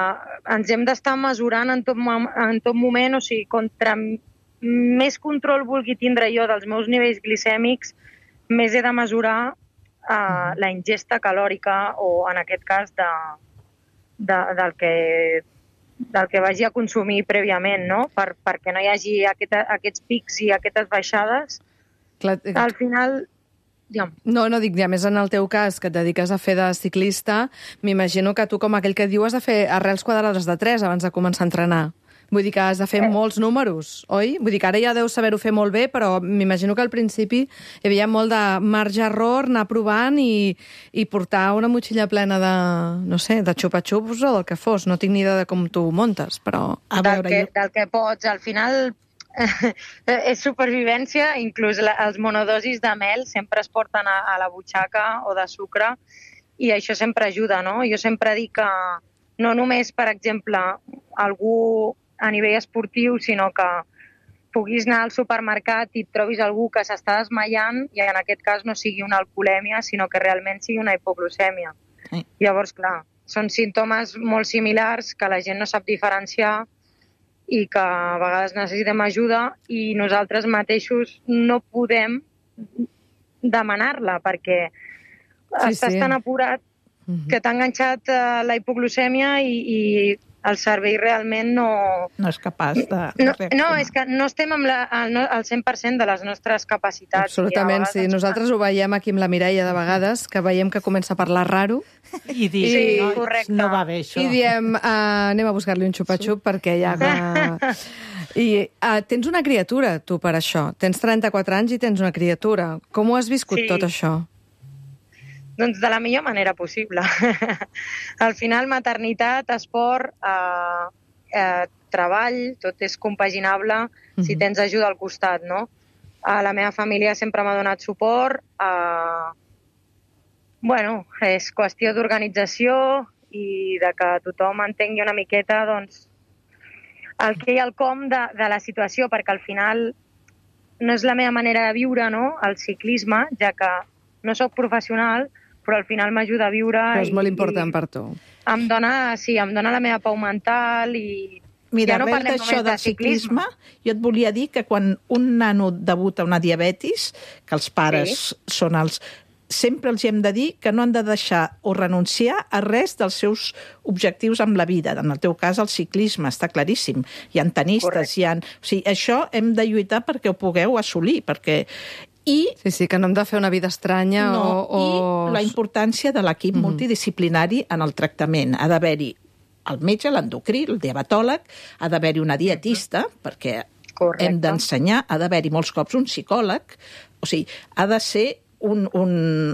ens hem d'estar mesurant en tot moment, o sigui, contra més control vulgui tindre jo dels meus nivells glicèmics, més he de mesurar la ingesta calòrica o, en aquest cas, del que vagi a consumir prèviament, no? Perquè no hi hagi aquests pics i aquestes baixades. Clar, al final... No, dic, a més en el teu cas, que et dediques a fer de ciclista, m'imagino que tu, com aquell que diu, has de fer arrels quadrades de 3 abans de començar a entrenar. Vull dir que has de fer molts números, oi? Vull dir que ara ja deus saber-ho fer molt bé, però m'imagino que al principi hi havia molt de marge-error, anar provant i portar una motxilla plena de, no sé, de xupa-xups o del que fos. No tinc ni idea de com tu montes, però... Del que pots. Al final és supervivència, inclús els monodosis de mel sempre es porten a la butxaca o de sucre i això sempre ajuda, no? Jo sempre dic que no només, per exemple, algú a nivell esportiu, sinó que puguis anar al supermercat i et trobis algú que s'està desmaiant i en aquest cas no sigui una alcoholèmia, sinó que realment sigui una hipoglucèmia. Llavors, clar, són símptomes molt similars que la gent no sap diferenciar i que a vegades necessitem ajuda i nosaltres mateixos no podem demanar-la perquè estàs tan apurat que t'ha enganxat la hipoglucèmia i el cervell realment no és capaç de reaccionar. No, és que no estem al 100% de les nostres capacitats. Absolutament, sí. Nosaltres ho veiem aquí amb la Mireia de vegades, que veiem que comença a parlar raro. I dir, no va bé això. I diem, anem a buscar-li un xupa-xup perquè ja... I tens una criatura, tu, per això. Tens 34 anys i tens una criatura. Com ho has viscut tot això? Doncs de la millor manera possible. Al final, maternitat, esport, treball, tot és compaginable si tens ajuda al costat, no? La meva família sempre m'ha donat suport. Bueno, és qüestió d'organització i de que tothom entengui una miqueta, doncs, el què i el com de la situació, perquè al final no és la meva manera de viure, no?, el ciclisme, ja que no sóc professional, però al final m'ajuda a viure. Però és molt important per tu. Em dona la meva pau mental i... Mira, ja no arrel d'això del ciclisme, jo et volia dir que quan un nano debuta una diabetis, que els pares són els... Sempre els hem de dir que no han de deixar o renunciar a res dels seus objectius amb la vida. En el teu cas, el ciclisme, està claríssim. Hi ha tenistes, O sigui, això hem de lluitar perquè ho pugueu assolir, perquè... Sí, que no hem de fer una vida estranya I la importància de l'equip multidisciplinari en el tractament. Ha d'haver-hi el metge, l'endocrí, el diabetòleg, ha d'haver-hi una dietista, perquè hem d'ensenyar, ha d'haver-hi molts cops un psicòleg, O sigui, ha de ser un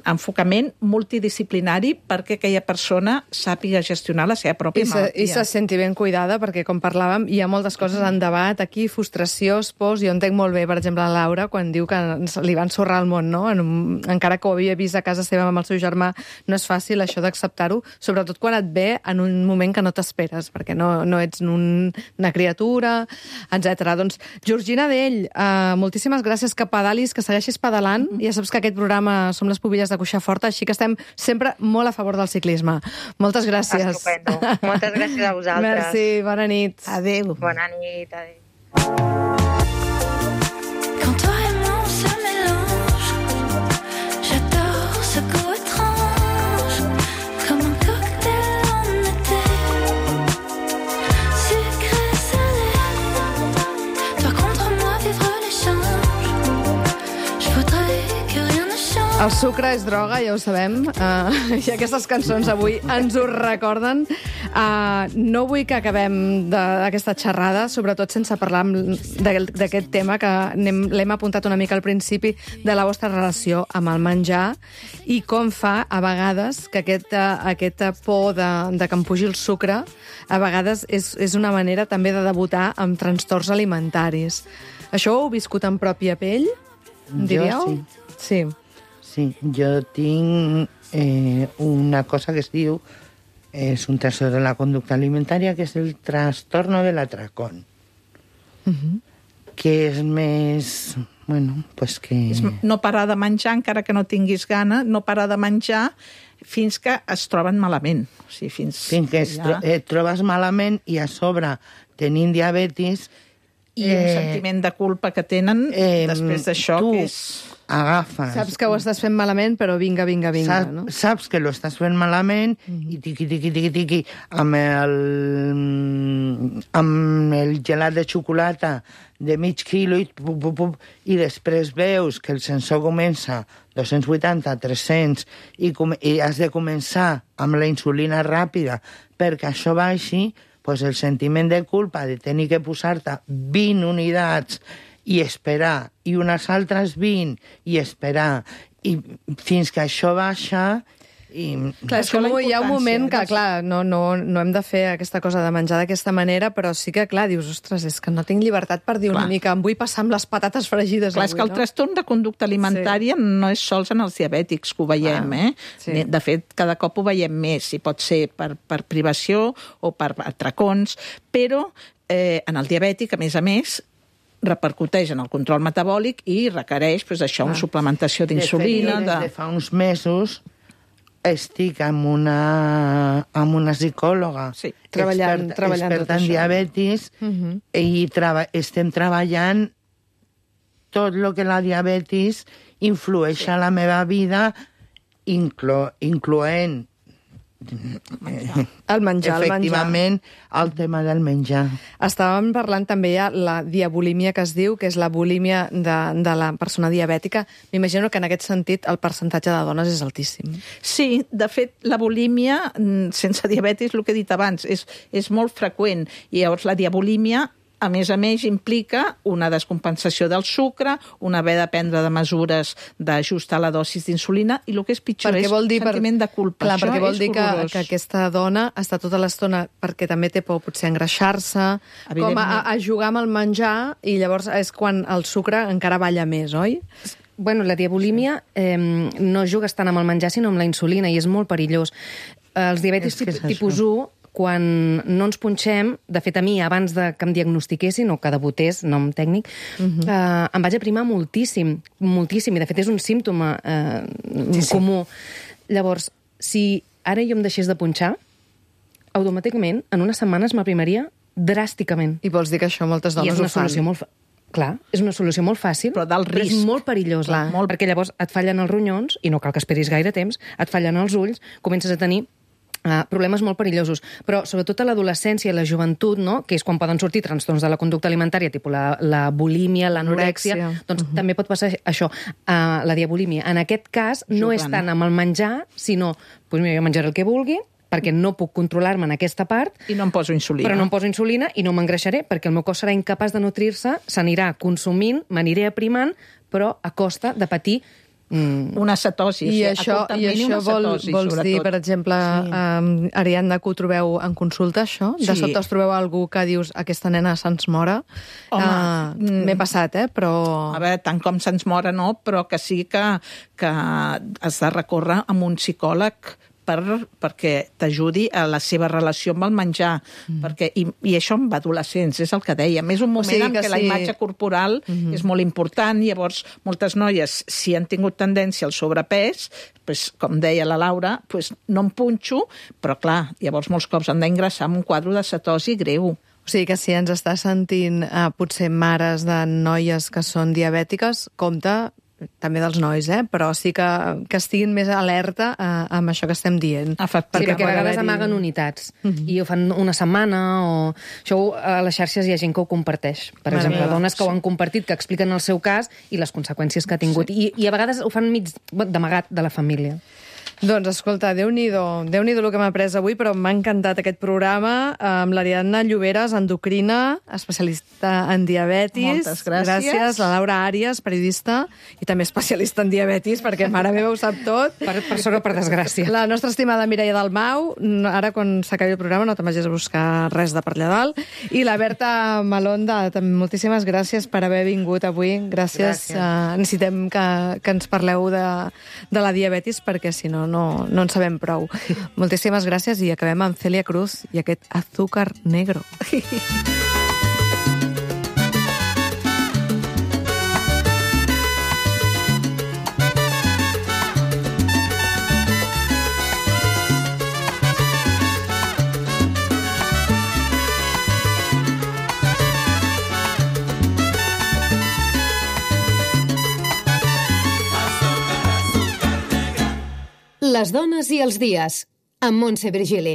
enfocament multidisciplinari perquè aquella persona sàpiga gestionar la seva pròpia malaltia. I se senti ben cuidada, perquè, com parlàvem, hi ha moltes coses en debat aquí, frustracions, pors. Jo entenc molt bé, per exemple, la Laura, quan diu que li va ensorrar el món, no? Encara que ho havia vist a casa seva amb el seu germà, no és fàcil això d'acceptar-ho, sobretot quan et ve en un moment que no t'esperes, perquè no ets una criatura, etc. Doncs, Georgina Dell, moltíssimes gràcies, que pedalis, que segueixis pedalant. Ja saps que aquest programa som les Pubilles de Cuixaforta, així que estem sempre molt a favor del ciclisme. Moltes gràcies. Estupendo. Moltes gràcies a vosaltres. Merci, bona nit. Adéu. Bona nit, adéu. Quand toi et moi on se mélange, j'adore ce goût étrange, comme un cocktail en été, sucré salé. Toi contre moi vivre l'échange, je voudrais que rien ne change. El sucre és droga, ja ho sabem, i aquestes cançons avui ens ho recorden. No vull que acabem d'aquesta xerrada, sobretot sense parlar d'aquest tema, que l'hem apuntat una mica al principi, de la vostra relació amb el menjar i com fa, a vegades, que aquesta por de que em pugi el sucre, a vegades és una manera també de debutar amb trastorns alimentaris. Això ho heu viscut en pròpia pell, diríeu? Jo sí. Sí, jo tinc una cosa que es diu, és un trastorn de la conducta alimentària, que és el trastorno de l'atracón. Que és més... Bueno, pues que... És no parar de menjar, encara que no tinguis gana, no parar de menjar fins que es troben malament. O sigui, fins que et trobes malament i a sobre tenint diabetis... I un sentiment de culpa que tenen després d'això, que és... agafes... Saps que ho estàs fent malament, però vinga, no? Saps que lo estàs fent malament i tiqui, amb el gelat de xocolata de mig quilo i després veus que el sensor comença 280, 300 i has de començar amb la insulina ràpida perquè això baixi, doncs el sentiment de culpa de tenir que posar-te 20 unitats i esperar, i unes altres 20, i esperar, i fins que això baixa... Clar, és com hi ha un moment que, clar, no hem de fer aquesta cosa de menjar d'aquesta manera, però sí que, clar, dius, ostres, és que no tinc llibertat per dir una mica, em vull passar amb les patates fregides avui, no? És que el trastorn de conducta alimentària no és sols en els diabètics, que ho veiem, Sí. De fet, cada cop ho veiem més, i pot ser per privació o per atracons, però en el diabètic, a més, repercuteix en el control metabòlic i requereix, això, una suplementació d'insulina... Des de fa uns mesos estic amb una psicòloga experta en diabetis i estem treballant tot el que la diabetis influeix a la meva vida, incloent el menjar, efectivament, el tema del menjar. Estàvem parlant també ja la diabulímia, que es diu, que és la bulímia de la persona diabètica. M'imagino que en aquest sentit el percentatge de dones és altíssim. Sí, de fet, la bulímia sense diabetis, el que he dit abans, és molt freqüent. I llavors la diabulímia, a més, implica una descompensació del sucre, un haver de prendre de mesures d'ajustar la dosi d'insulina, i el que és pitjor és sentiment de culpa. Clar, perquè vol dir que aquesta dona està tota l'estona, perquè també té por potser a engreixar-se, com a jugar amb el menjar, i llavors és quan el sucre encara balla més, oi? Bueno, la diabulímia no jugues tant amb el menjar, sinó amb la insulina, i és molt perillós. Els diabetis tipus 1, quan no ens punxem, de fet a mi, abans que em diagnostiquessin, o que debutés, nom tècnic, em vaig aprimar moltíssim, i de fet és un símptoma comú. Llavors, si ara jo em deixés de punxar, automàticament, en unes setmanes m'aprimaria dràsticament. I vols dir que això moltes dones ho fan? Clar, és una solució molt fàcil, però és molt perillosa, perquè llavors et fallen els ronyons, i no cal que esperis gaire temps, et fallen els ulls, comences a tenir problemes molt perillosos, però sobretot a l'adolescència i la joventut, no? Que és quan poden sortir trastorns de la conducta alimentària, tipus la bulímia, l'anorèxia, doncs també pot passar això, la diabulímia. En aquest cas, no és tant amb el menjar, sinó, doncs mira, jo menjaré el que vulgui, perquè no puc controlar-me en aquesta part. I no em poso insulina. Però no em poso insulina i no m'engreixaré, perquè el meu cos serà incapaç de nutrir-se, s'anirà consumint, m'aniré aprimant, però a costa de patir una cetosi. I això vols dir, per exemple, Ariadna, que ho trobeu en consulta, això? De sobte us trobeu algú que dius aquesta nena se'ns mora? M'he passat, però... A veure, tant com se'ns mora no, però que sí que has de recórrer amb un psicòleg perquè t'ajudi a la seva relació amb el menjar. I això amb adolescents, és el que dèiem. És un moment en què la imatge corporal és molt important. Llavors, moltes noies, si han tingut tendència al sobrepès, com deia la Laura, no em punxo, però clar, llavors molts cops han d'ingressar amb un quadre de cetosi greu. O sigui que si ens està sentint potser mares de noies que són diabètiques, compte també dels nois, però sí que estiguin més alerta amb això que estem dient. Sí, perquè a vegades amaguen unitats i ho fan una setmana o... Això a les xarxes hi ha gent que ho comparteix. Per exemple, dones que ho han compartit, que expliquen el seu cas i les conseqüències que ha tingut. I a vegades ho fan mig d'amagat de la família. Doncs, escolta, Déu-n'hi-do el que m'ha après avui, però m'ha encantat aquest programa amb l'Ariadna Lloberes, endocrina, especialista en diabetis. Moltes gràcies. Gràcies. La Laura Àries, periodista, i també especialista en diabetis, perquè mare meva ho sap tot. Per sort o per desgràcia. La nostra estimada Mireia Dalmau, ara quan s'acabi el programa no te'n vagis a buscar res de per allà dalt. I la Berta Malonda, moltíssimes gràcies per haver vingut avui. Gràcies. Necessitem que ens parleu de la diabetis, perquè si no en sabem prou. Moltíssimes gràcies i acabem amb Celia Cruz i aquest Azúcar Negro. Les dones i els dies, amb Montse Virgili.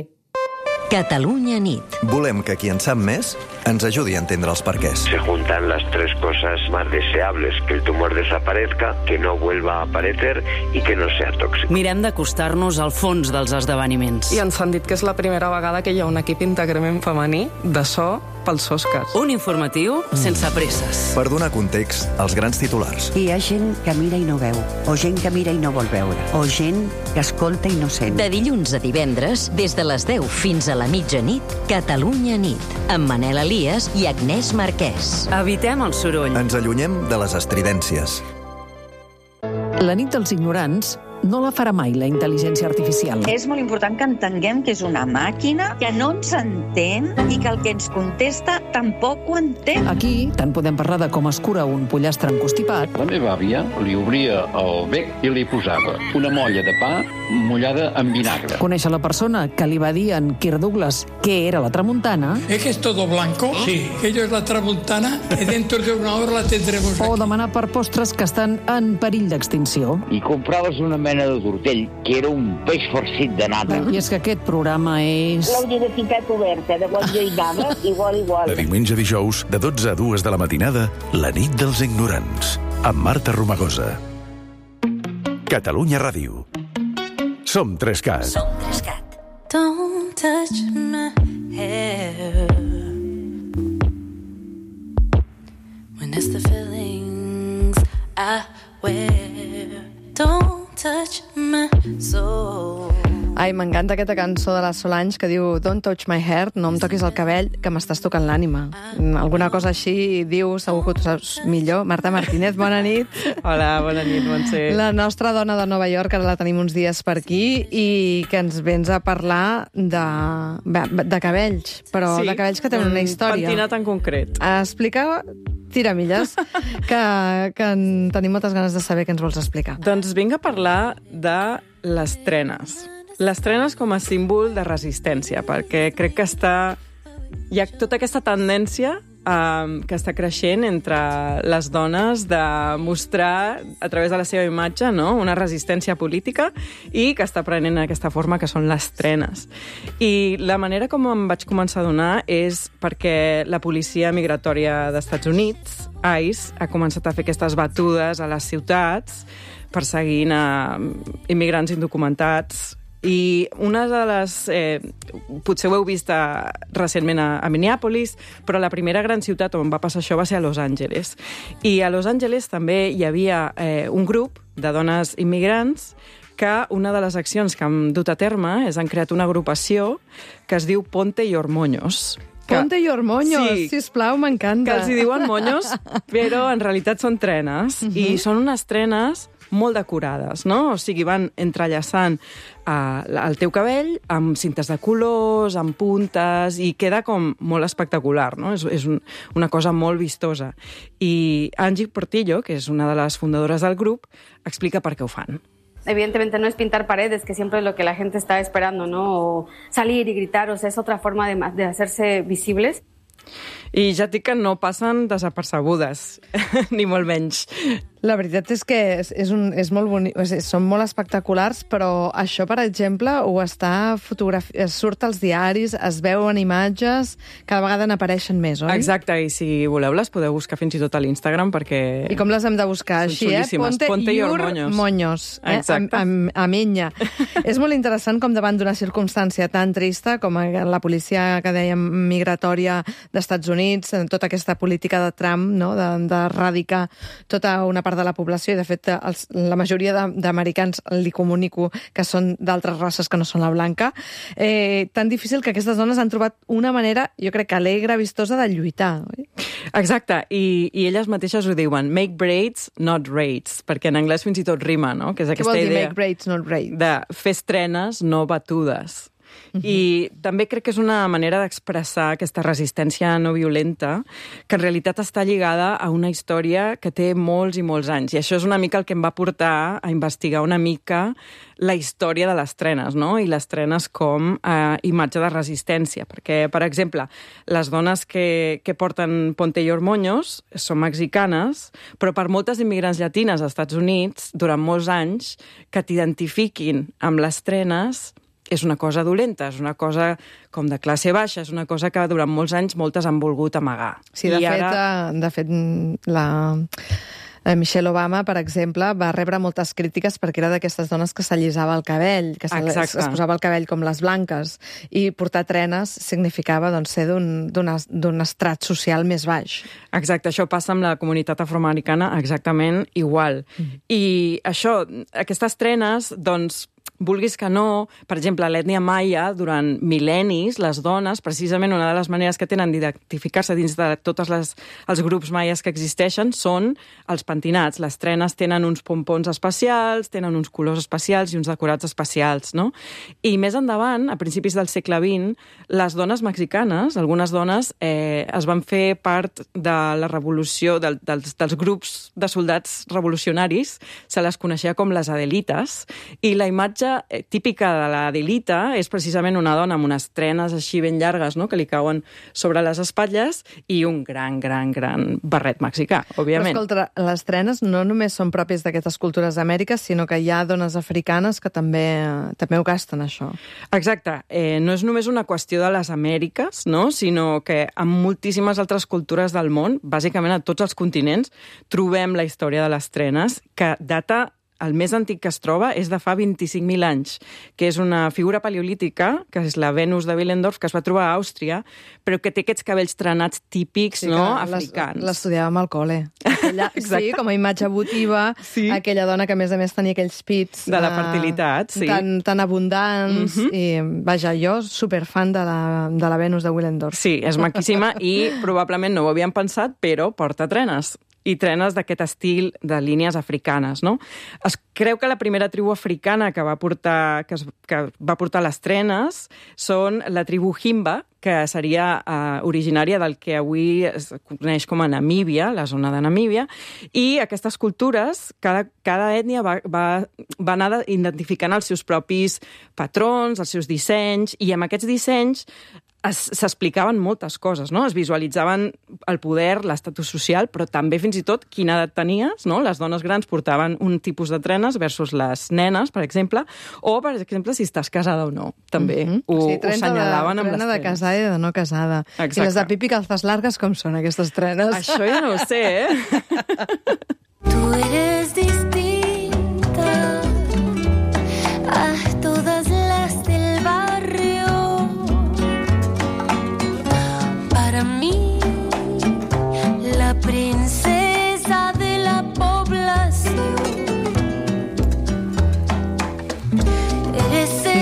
Catalunya nit. Volem que qui en sap més ens ajudi a entendre els perquès. Se juntan las tres cosas más deseables, que el tumor desaparezca, que no vuelva a aparecer y que no sea tóxico. Mirem d'acostar-nos al fons dels esdeveniments. I ens han dit que és la primera vegada que hi ha un equip íntegrament femení de so pels Oscars. Un informatiu sense presses. Per donar context als grans titulars. Hi ha gent que mira i no veu, o gent que mira i no vol veure, o gent que escolta i no sent. De dilluns a divendres, des de les 10 fins a la mitjanit, Catalunya nit, amb Manel Elias i Agnès Marquès. Evitem el soroll. Ens allunyem de les estridències. La nit dels ignorants no la farà mai la intel·ligència artificial. És molt important que entenguem que és una màquina que no ens entén i que el que ens contesta tampoc ho entén. Aquí tant podem parlar de com es cura un pollastre encostipat. La meva àvia li obria el bec i li posava una molla de pa mullada amb vinagre. Conèixer la persona que li va dir en Kirk Douglas què era la tramuntana. ¿Es que es todo blanco? Sí. Aquello es la tramuntana y dentro de una hora la tendremos aquí. O demanar per postres que estan en perill d'extinció. I compraves una mena de tortell, que era un peix farcit de nata. I és que aquest programa és... La universitat oberta, de qual jo hi anava, igual. De diumenge a dijous, de 12 a 2 de la matinada, la nit dels ignorants, amb Marta Romagosa. Catalunya Ràdio. Som 3CAT. Som 3CAT. Don't touch my hair when it's the feelings I wear. Don't touch my soul. Ai, m'encanta aquesta cançó de la Solange que diu Don't touch my hair, no em toquis el cabell, que m'estàs tocant l'ànima. Alguna cosa així diu, segur que ho saps millor. Marta Martínez, bona nit. Hola, bona nit, Montse. La nostra dona de Nova York, ara la tenim uns dies per aquí, i que ens vens a parlar de cabells, però sí, de cabells que tenen una història. Pentinat en concret. Explica... Tiramilles, que tenim moltes ganes de saber què ens vols explicar. Doncs vinc a parlar de les trenes. Les trenes com a símbol de resistència, perquè crec que hi ha tota aquesta tendència que està creixent entre les dones de mostrar a través de la seva imatge, no?, una resistència política i que està prenent aquesta forma que són les trenes. I la manera com em vaig començar a adonar és perquè la policia migratòria d'Estats Units, ICE, ha començat a fer aquestes batudes a les ciutats perseguint a immigrants indocumentats I una de les... potser ho heu vist recentment a Minneapolis, però la primera gran ciutat on va passar això va ser a Los Angeles. I a Los Angeles també hi havia un grup de dones immigrants que una de les accions que han dut a terme és han creat una agrupació que es diu Ponte Your Moños. Ponte Your Moños, sí, sisplau, m'encanta. Que els hi diuen moños, però en realitat són trenes. I són unes trenes molt decorades, no? O sigui, van entrellaçant el teu cabell amb cintes de colors, amb puntes, i queda com molt espectacular, no? És una cosa molt vistosa. I Angie Portillo, que és una de les fundadores del grup, explica per què ho fan. Evidentemente no es pintar paredes, que siempre es lo que la gente está esperando, ¿no? O salir y gritar, o sea, es otra forma de hacerse visibles. I ja et dic que no passen desapercebudes, ni molt menys. La veritat és que és molt bonic, són molt espectaculars, però això, per exemple, ho està surt als diaris, es veuen imatges, cada vegada n'apareixen més, oi? Exacte, i si voleu les podeu buscar fins i tot a l'Instagram, perquè... I com les hem de buscar? Així, Ponte Your Moños. Exacte. A minya. És molt interessant com davant d'una circumstància tan trista com la policia que dèiem migratòria d'Estats Units, tota aquesta política de Trump, no? d'erradicar tota una part de la població, i de fet la majoria d'americans li comunico que són d'altres races que no són la blanca, tan difícil que aquestes dones han trobat una manera, jo crec que alegre, vistosa, de lluitar. Oi? Exacte, i elles mateixes ho diuen, make braids, not raids, perquè en anglès fins i tot rima, no? Que és aquesta idea. Què vol dir idea make braids, not raids? De fer estrenes, no batudes. I també crec que és una manera d'expressar aquesta resistència no violenta que en realitat està lligada a una història que té molts i molts anys. I això és una mica el que em va portar a investigar una mica la història de les trenes, no? I les trenes com a imatge de resistència. Perquè, per exemple, les dones que porten Ponte Your Moños són mexicanes, però per moltes immigrants llatines als Estats Units, durant molts anys, que t'identifiquin amb les trenes és una cosa dolenta, és una cosa com de classe baixa, és una cosa que durant molts anys moltes han volgut amagar. Sí, de fet, Michelle Obama, per exemple, va rebre moltes crítiques perquè era d'aquestes dones que s'allisava el cabell, que es posava el cabell com les blanques, i portar trenes significava ser d'un estrat social més baix. Exacte, això passa amb la comunitat afroamericana exactament igual. I això, aquestes trenes, doncs, vulguis que no, per exemple, a l'ètnia maia, durant mil·lennis, les dones, precisament una de les maneres que tenen d'identificar-se dins de tots els grups maies que existeixen són els pentinats. Les trenes tenen uns pompons especials, tenen uns colors especials i uns decorats especials, no? I més endavant, a principis del segle XX, les dones mexicanes, algunes dones, es van fer part de la revolució, dels grups de soldats revolucionaris, se les coneixia com les Adelites, i la imatge típica de la Adelita és precisament una dona amb unes trenes així ben llargues, no?, que li cauen sobre les espatlles i un gran barret mexicà, òbviament. Però escolta, les trenes no només són pròpies d'aquestes cultures d'Amèrica, sinó que hi ha dones africanes que també ho gasten, això. Exacte. No és només una qüestió de les Amèriques, no?, sinó que en moltíssimes altres cultures del món, bàsicament a tots els continents, trobem la història de les trenes, que data... El més antic que es troba és de fa 25.000 anys, que és una figura paleolítica, que és la Venus de Willendorf, que es va trobar a Àustria, però que té aquests cabells trenats típics, sí, no?, africans. L'estudiàvem al col·le. Sí, com a imatge votiva, sí. Aquella dona que, a més tenia aquells pits... De la fertilitat, sí. Tan abundants. I, vaja, jo, superfan de la Venus de Willendorf. Sí, és maquíssima i probablement no ho havíem pensat, però porta trenes. I trenes d'aquest estil de línies africanes, no? Es creu que la primera tribu africana que va portar les trenes són la tribu Himba, que seria originària del que avui es coneix com a Namíbia, la zona de Namíbia, i aquestes cultures, cada ètnia va anar identificant els seus propis patrons, els seus dissenys, i amb aquests dissenys s'explicaven moltes coses, no? Es visualitzaven el poder, l'estatus social, però també fins i tot quina edat tenies, no? Les dones grans portaven un tipus de trenes versus les nenes, per exemple, o, per exemple, si estàs casada o no. També ho senyalaven amb les trenes. De casada i de no casada. Exacte. I les de pipi calzas largues, com són aquestes trenes? Això ja no ho sé, Tú eres distinta a todas las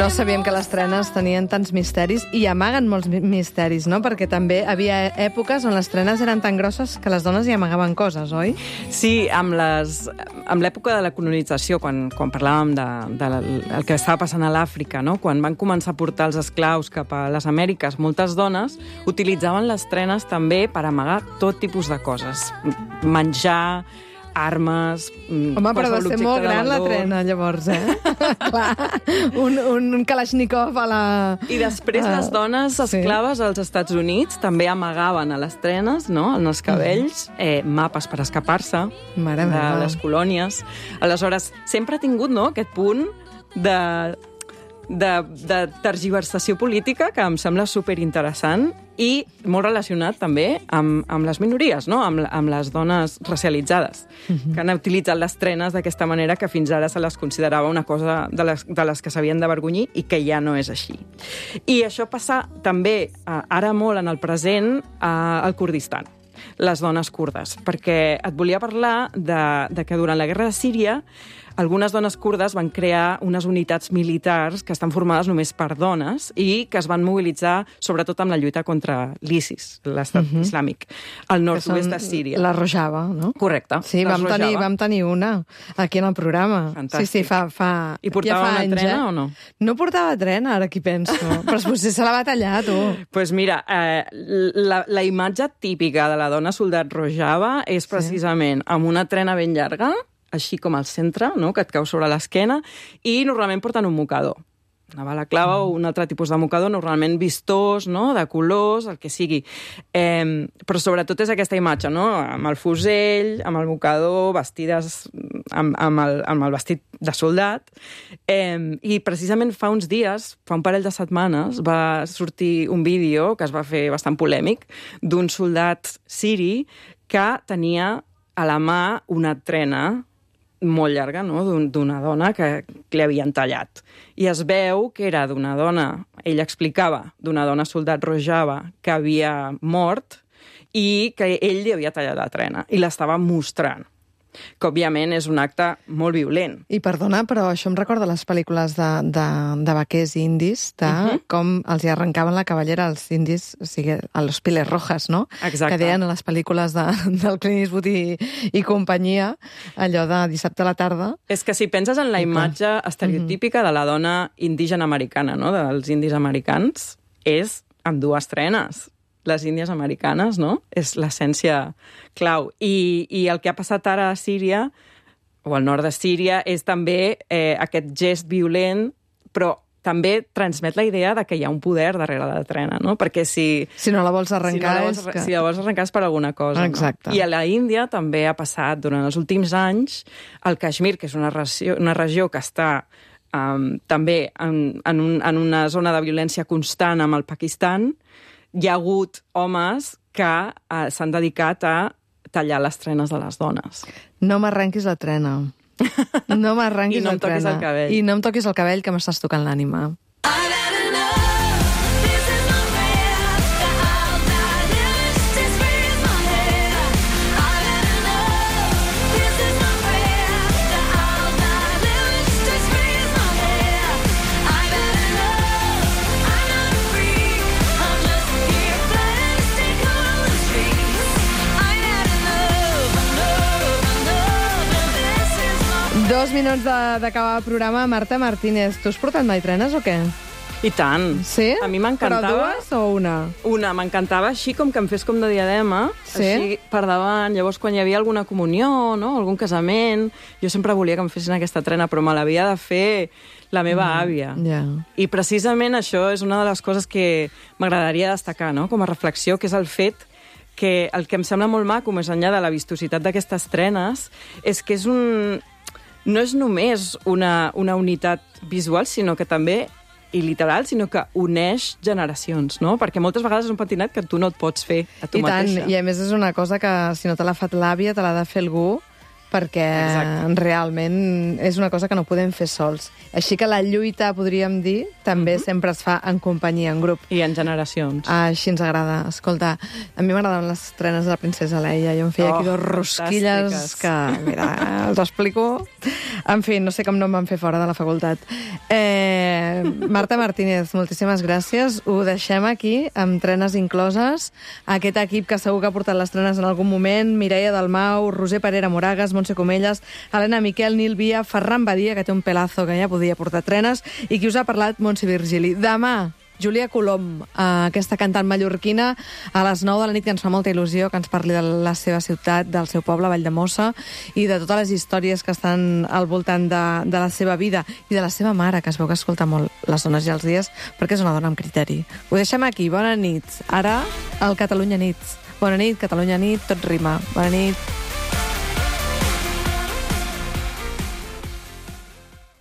No sabíem que les trenes tenien tants misteris i amaguen molts misteris, no? Perquè també havia èpoques on les trenes eren tan grosses que les dones hi amagaven coses, oi? Sí, amb l'època de la colonització, quan parlàvem del que estava passant a l'Àfrica, no? Quan van començar a portar els esclaus cap a les Amèriques, moltes dones utilitzaven les trenes també per amagar tot tipus de coses. Menjar, armes... Home, però va ser molt gran la trena, llavors, Clar, un Kalashnikov a la... I després les dones esclaves als Estats Units també amagaven a les trenes, no?, en els cabells, mapes per escapar-se de les colònies. Aleshores, sempre ha tingut, no?, aquest punt de tergiversació política que em sembla superinteressant i molt relacionat també amb les minories, no? Amb les dones racialitzades, que han utilitzat les trenes d'aquesta manera que fins ara se les considerava una cosa de les que s'havien d'avergonyir i que ja no és així. I això passa també ara molt en el present al Kurdistan, les dones kurdes, perquè et volia parlar de que durant la guerra de Síria algunes dones kurdes van crear unes unitats militars que estan formades només per dones i que es van mobilitzar sobretot amb la lluita contra l'ISIS, l'Estat Islàmic, al nord-oest de Síria. La Rojava, no? Correcte. Sí, vam tenir una aquí en el programa. Fantàstic. Sí, fa I portava una trena o no? No portava trena, ara aquí penso. Però potser se la va tallar, tu. Doncs mira, la imatge típica de la dona soldat Rojava és precisament amb una trena ben llarga, així com al centre, no?, que et cau sobre l'esquena, i normalment porten un mocador. Una balaclava o un altre tipus de mocador, normalment vistós, no?, de colors, el que sigui. Però sobretot és aquesta imatge, no?, amb el fusell, amb el mocador, vestides amb el vestit de soldat. I precisament fa uns dies, fa un parell de setmanes, va sortir un vídeo que es va fer bastant polèmic d'un soldat siri que tenia a la mà una trena molt llarga, no?, d'una dona que li havien tallat. I es veu que era d'una dona, ell explicava, d'una dona soldat Rojava que havia mort i que ell li havia tallat la trena i l'estava mostrant, que òbviament és un acte molt violent. I perdona, però això em recorda les pel·lícules de vaquers indis, de com els hi arrencaven la cabellera als indis, o sigui, a los Piles Rojas, no? Exacte. Que deien a les pel·lícules del Clint Eastwood i companyia, allò de dissabte a la tarda. És que si penses en la imatge estereotípica de la dona indígena americana, no?, dels indis americans, és amb dues trenes. Les índies americanes, no?, és l'essència clau. I el que ha passat ara a Síria, o al nord de Síria, és també aquest gest violent, però també transmet la idea de que hi ha un poder darrere la trena, no? Perquè si no la vols arrencar si la vols arrencar és per alguna cosa. Exacte. No? I a la Índia també ha passat, durant els últims anys, el Kashmir, que és una regió que està també en una zona de violència constant amb el Pakistan, hi ha hagut homes que s'han dedicat a tallar les trenes de les dones. No m'arrenquis la trena. No m'arrenquis la trena. I no em toquis el cabell. I no em toquis el cabell, que m'estàs tocant l'ànima. Dos minuts d'acabar el programa. Marta Martínez, tu has portat mai trenes o què? I tant. Sí? A mi m'encantava... Però dues o una? Una. M'encantava així com que em fes com de diadema, així per davant. Llavors, quan hi havia alguna comunió, no?, algun casament, jo sempre volia que em fessin aquesta trena, però me l'havia de fer la meva àvia. I precisament això és una de les coses que m'agradaria destacar, no?, com a reflexió, que és el fet que el que em sembla molt maco, més enllà de la vistositat d'aquestes trenes, és que és no és només una unitat visual, sinó que també, i literal, sinó que uneix generacions, no? Perquè moltes vegades és un pentinat que tu no et pots fer a tu mateixa. I a més és una cosa que, si no te l'ha fet l'àvia, te l'ha de fer algú perquè realment és una cosa que no podem fer sols. Així que la lluita, podríem dir, també sempre es fa en companyia, en grup. I en generacions. Així ens agrada. Escolta, a mi m'agraden les estrenes de la princesa Leia. Jo em feia aquí dos rosquilles que, mira, els explico. En fi, no sé com no em van fer fora de la facultat. Marta Martínez, moltíssimes gràcies. Ho deixem aquí, amb trenes incloses. Aquest equip que segur que ha portat les trenes en algun moment, Mireia Dalmau, Roser Parera Moragas, Montse Comelles, Helena Miquel, Nil Via, Ferran Badia, que té un pelazo que ja podia portar trenes, i qui us ha parlat, Montse Virgili. Demà, Júlia Colom, aquesta cantant mallorquina, a les 9 de la nit, que ens fa molta il·lusió que ens parli de la seva ciutat, del seu poble, Valldemossa, i de totes les històries que estan al voltant de la seva vida i de la seva mare, que es veu que escolta molt Les dones i els dies, perquè és una dona amb criteri. Ho deixem aquí. Bona nit. Ara, al Catalunya Nit. Bona nit, Catalunya Nit, tot rima. Bona nit.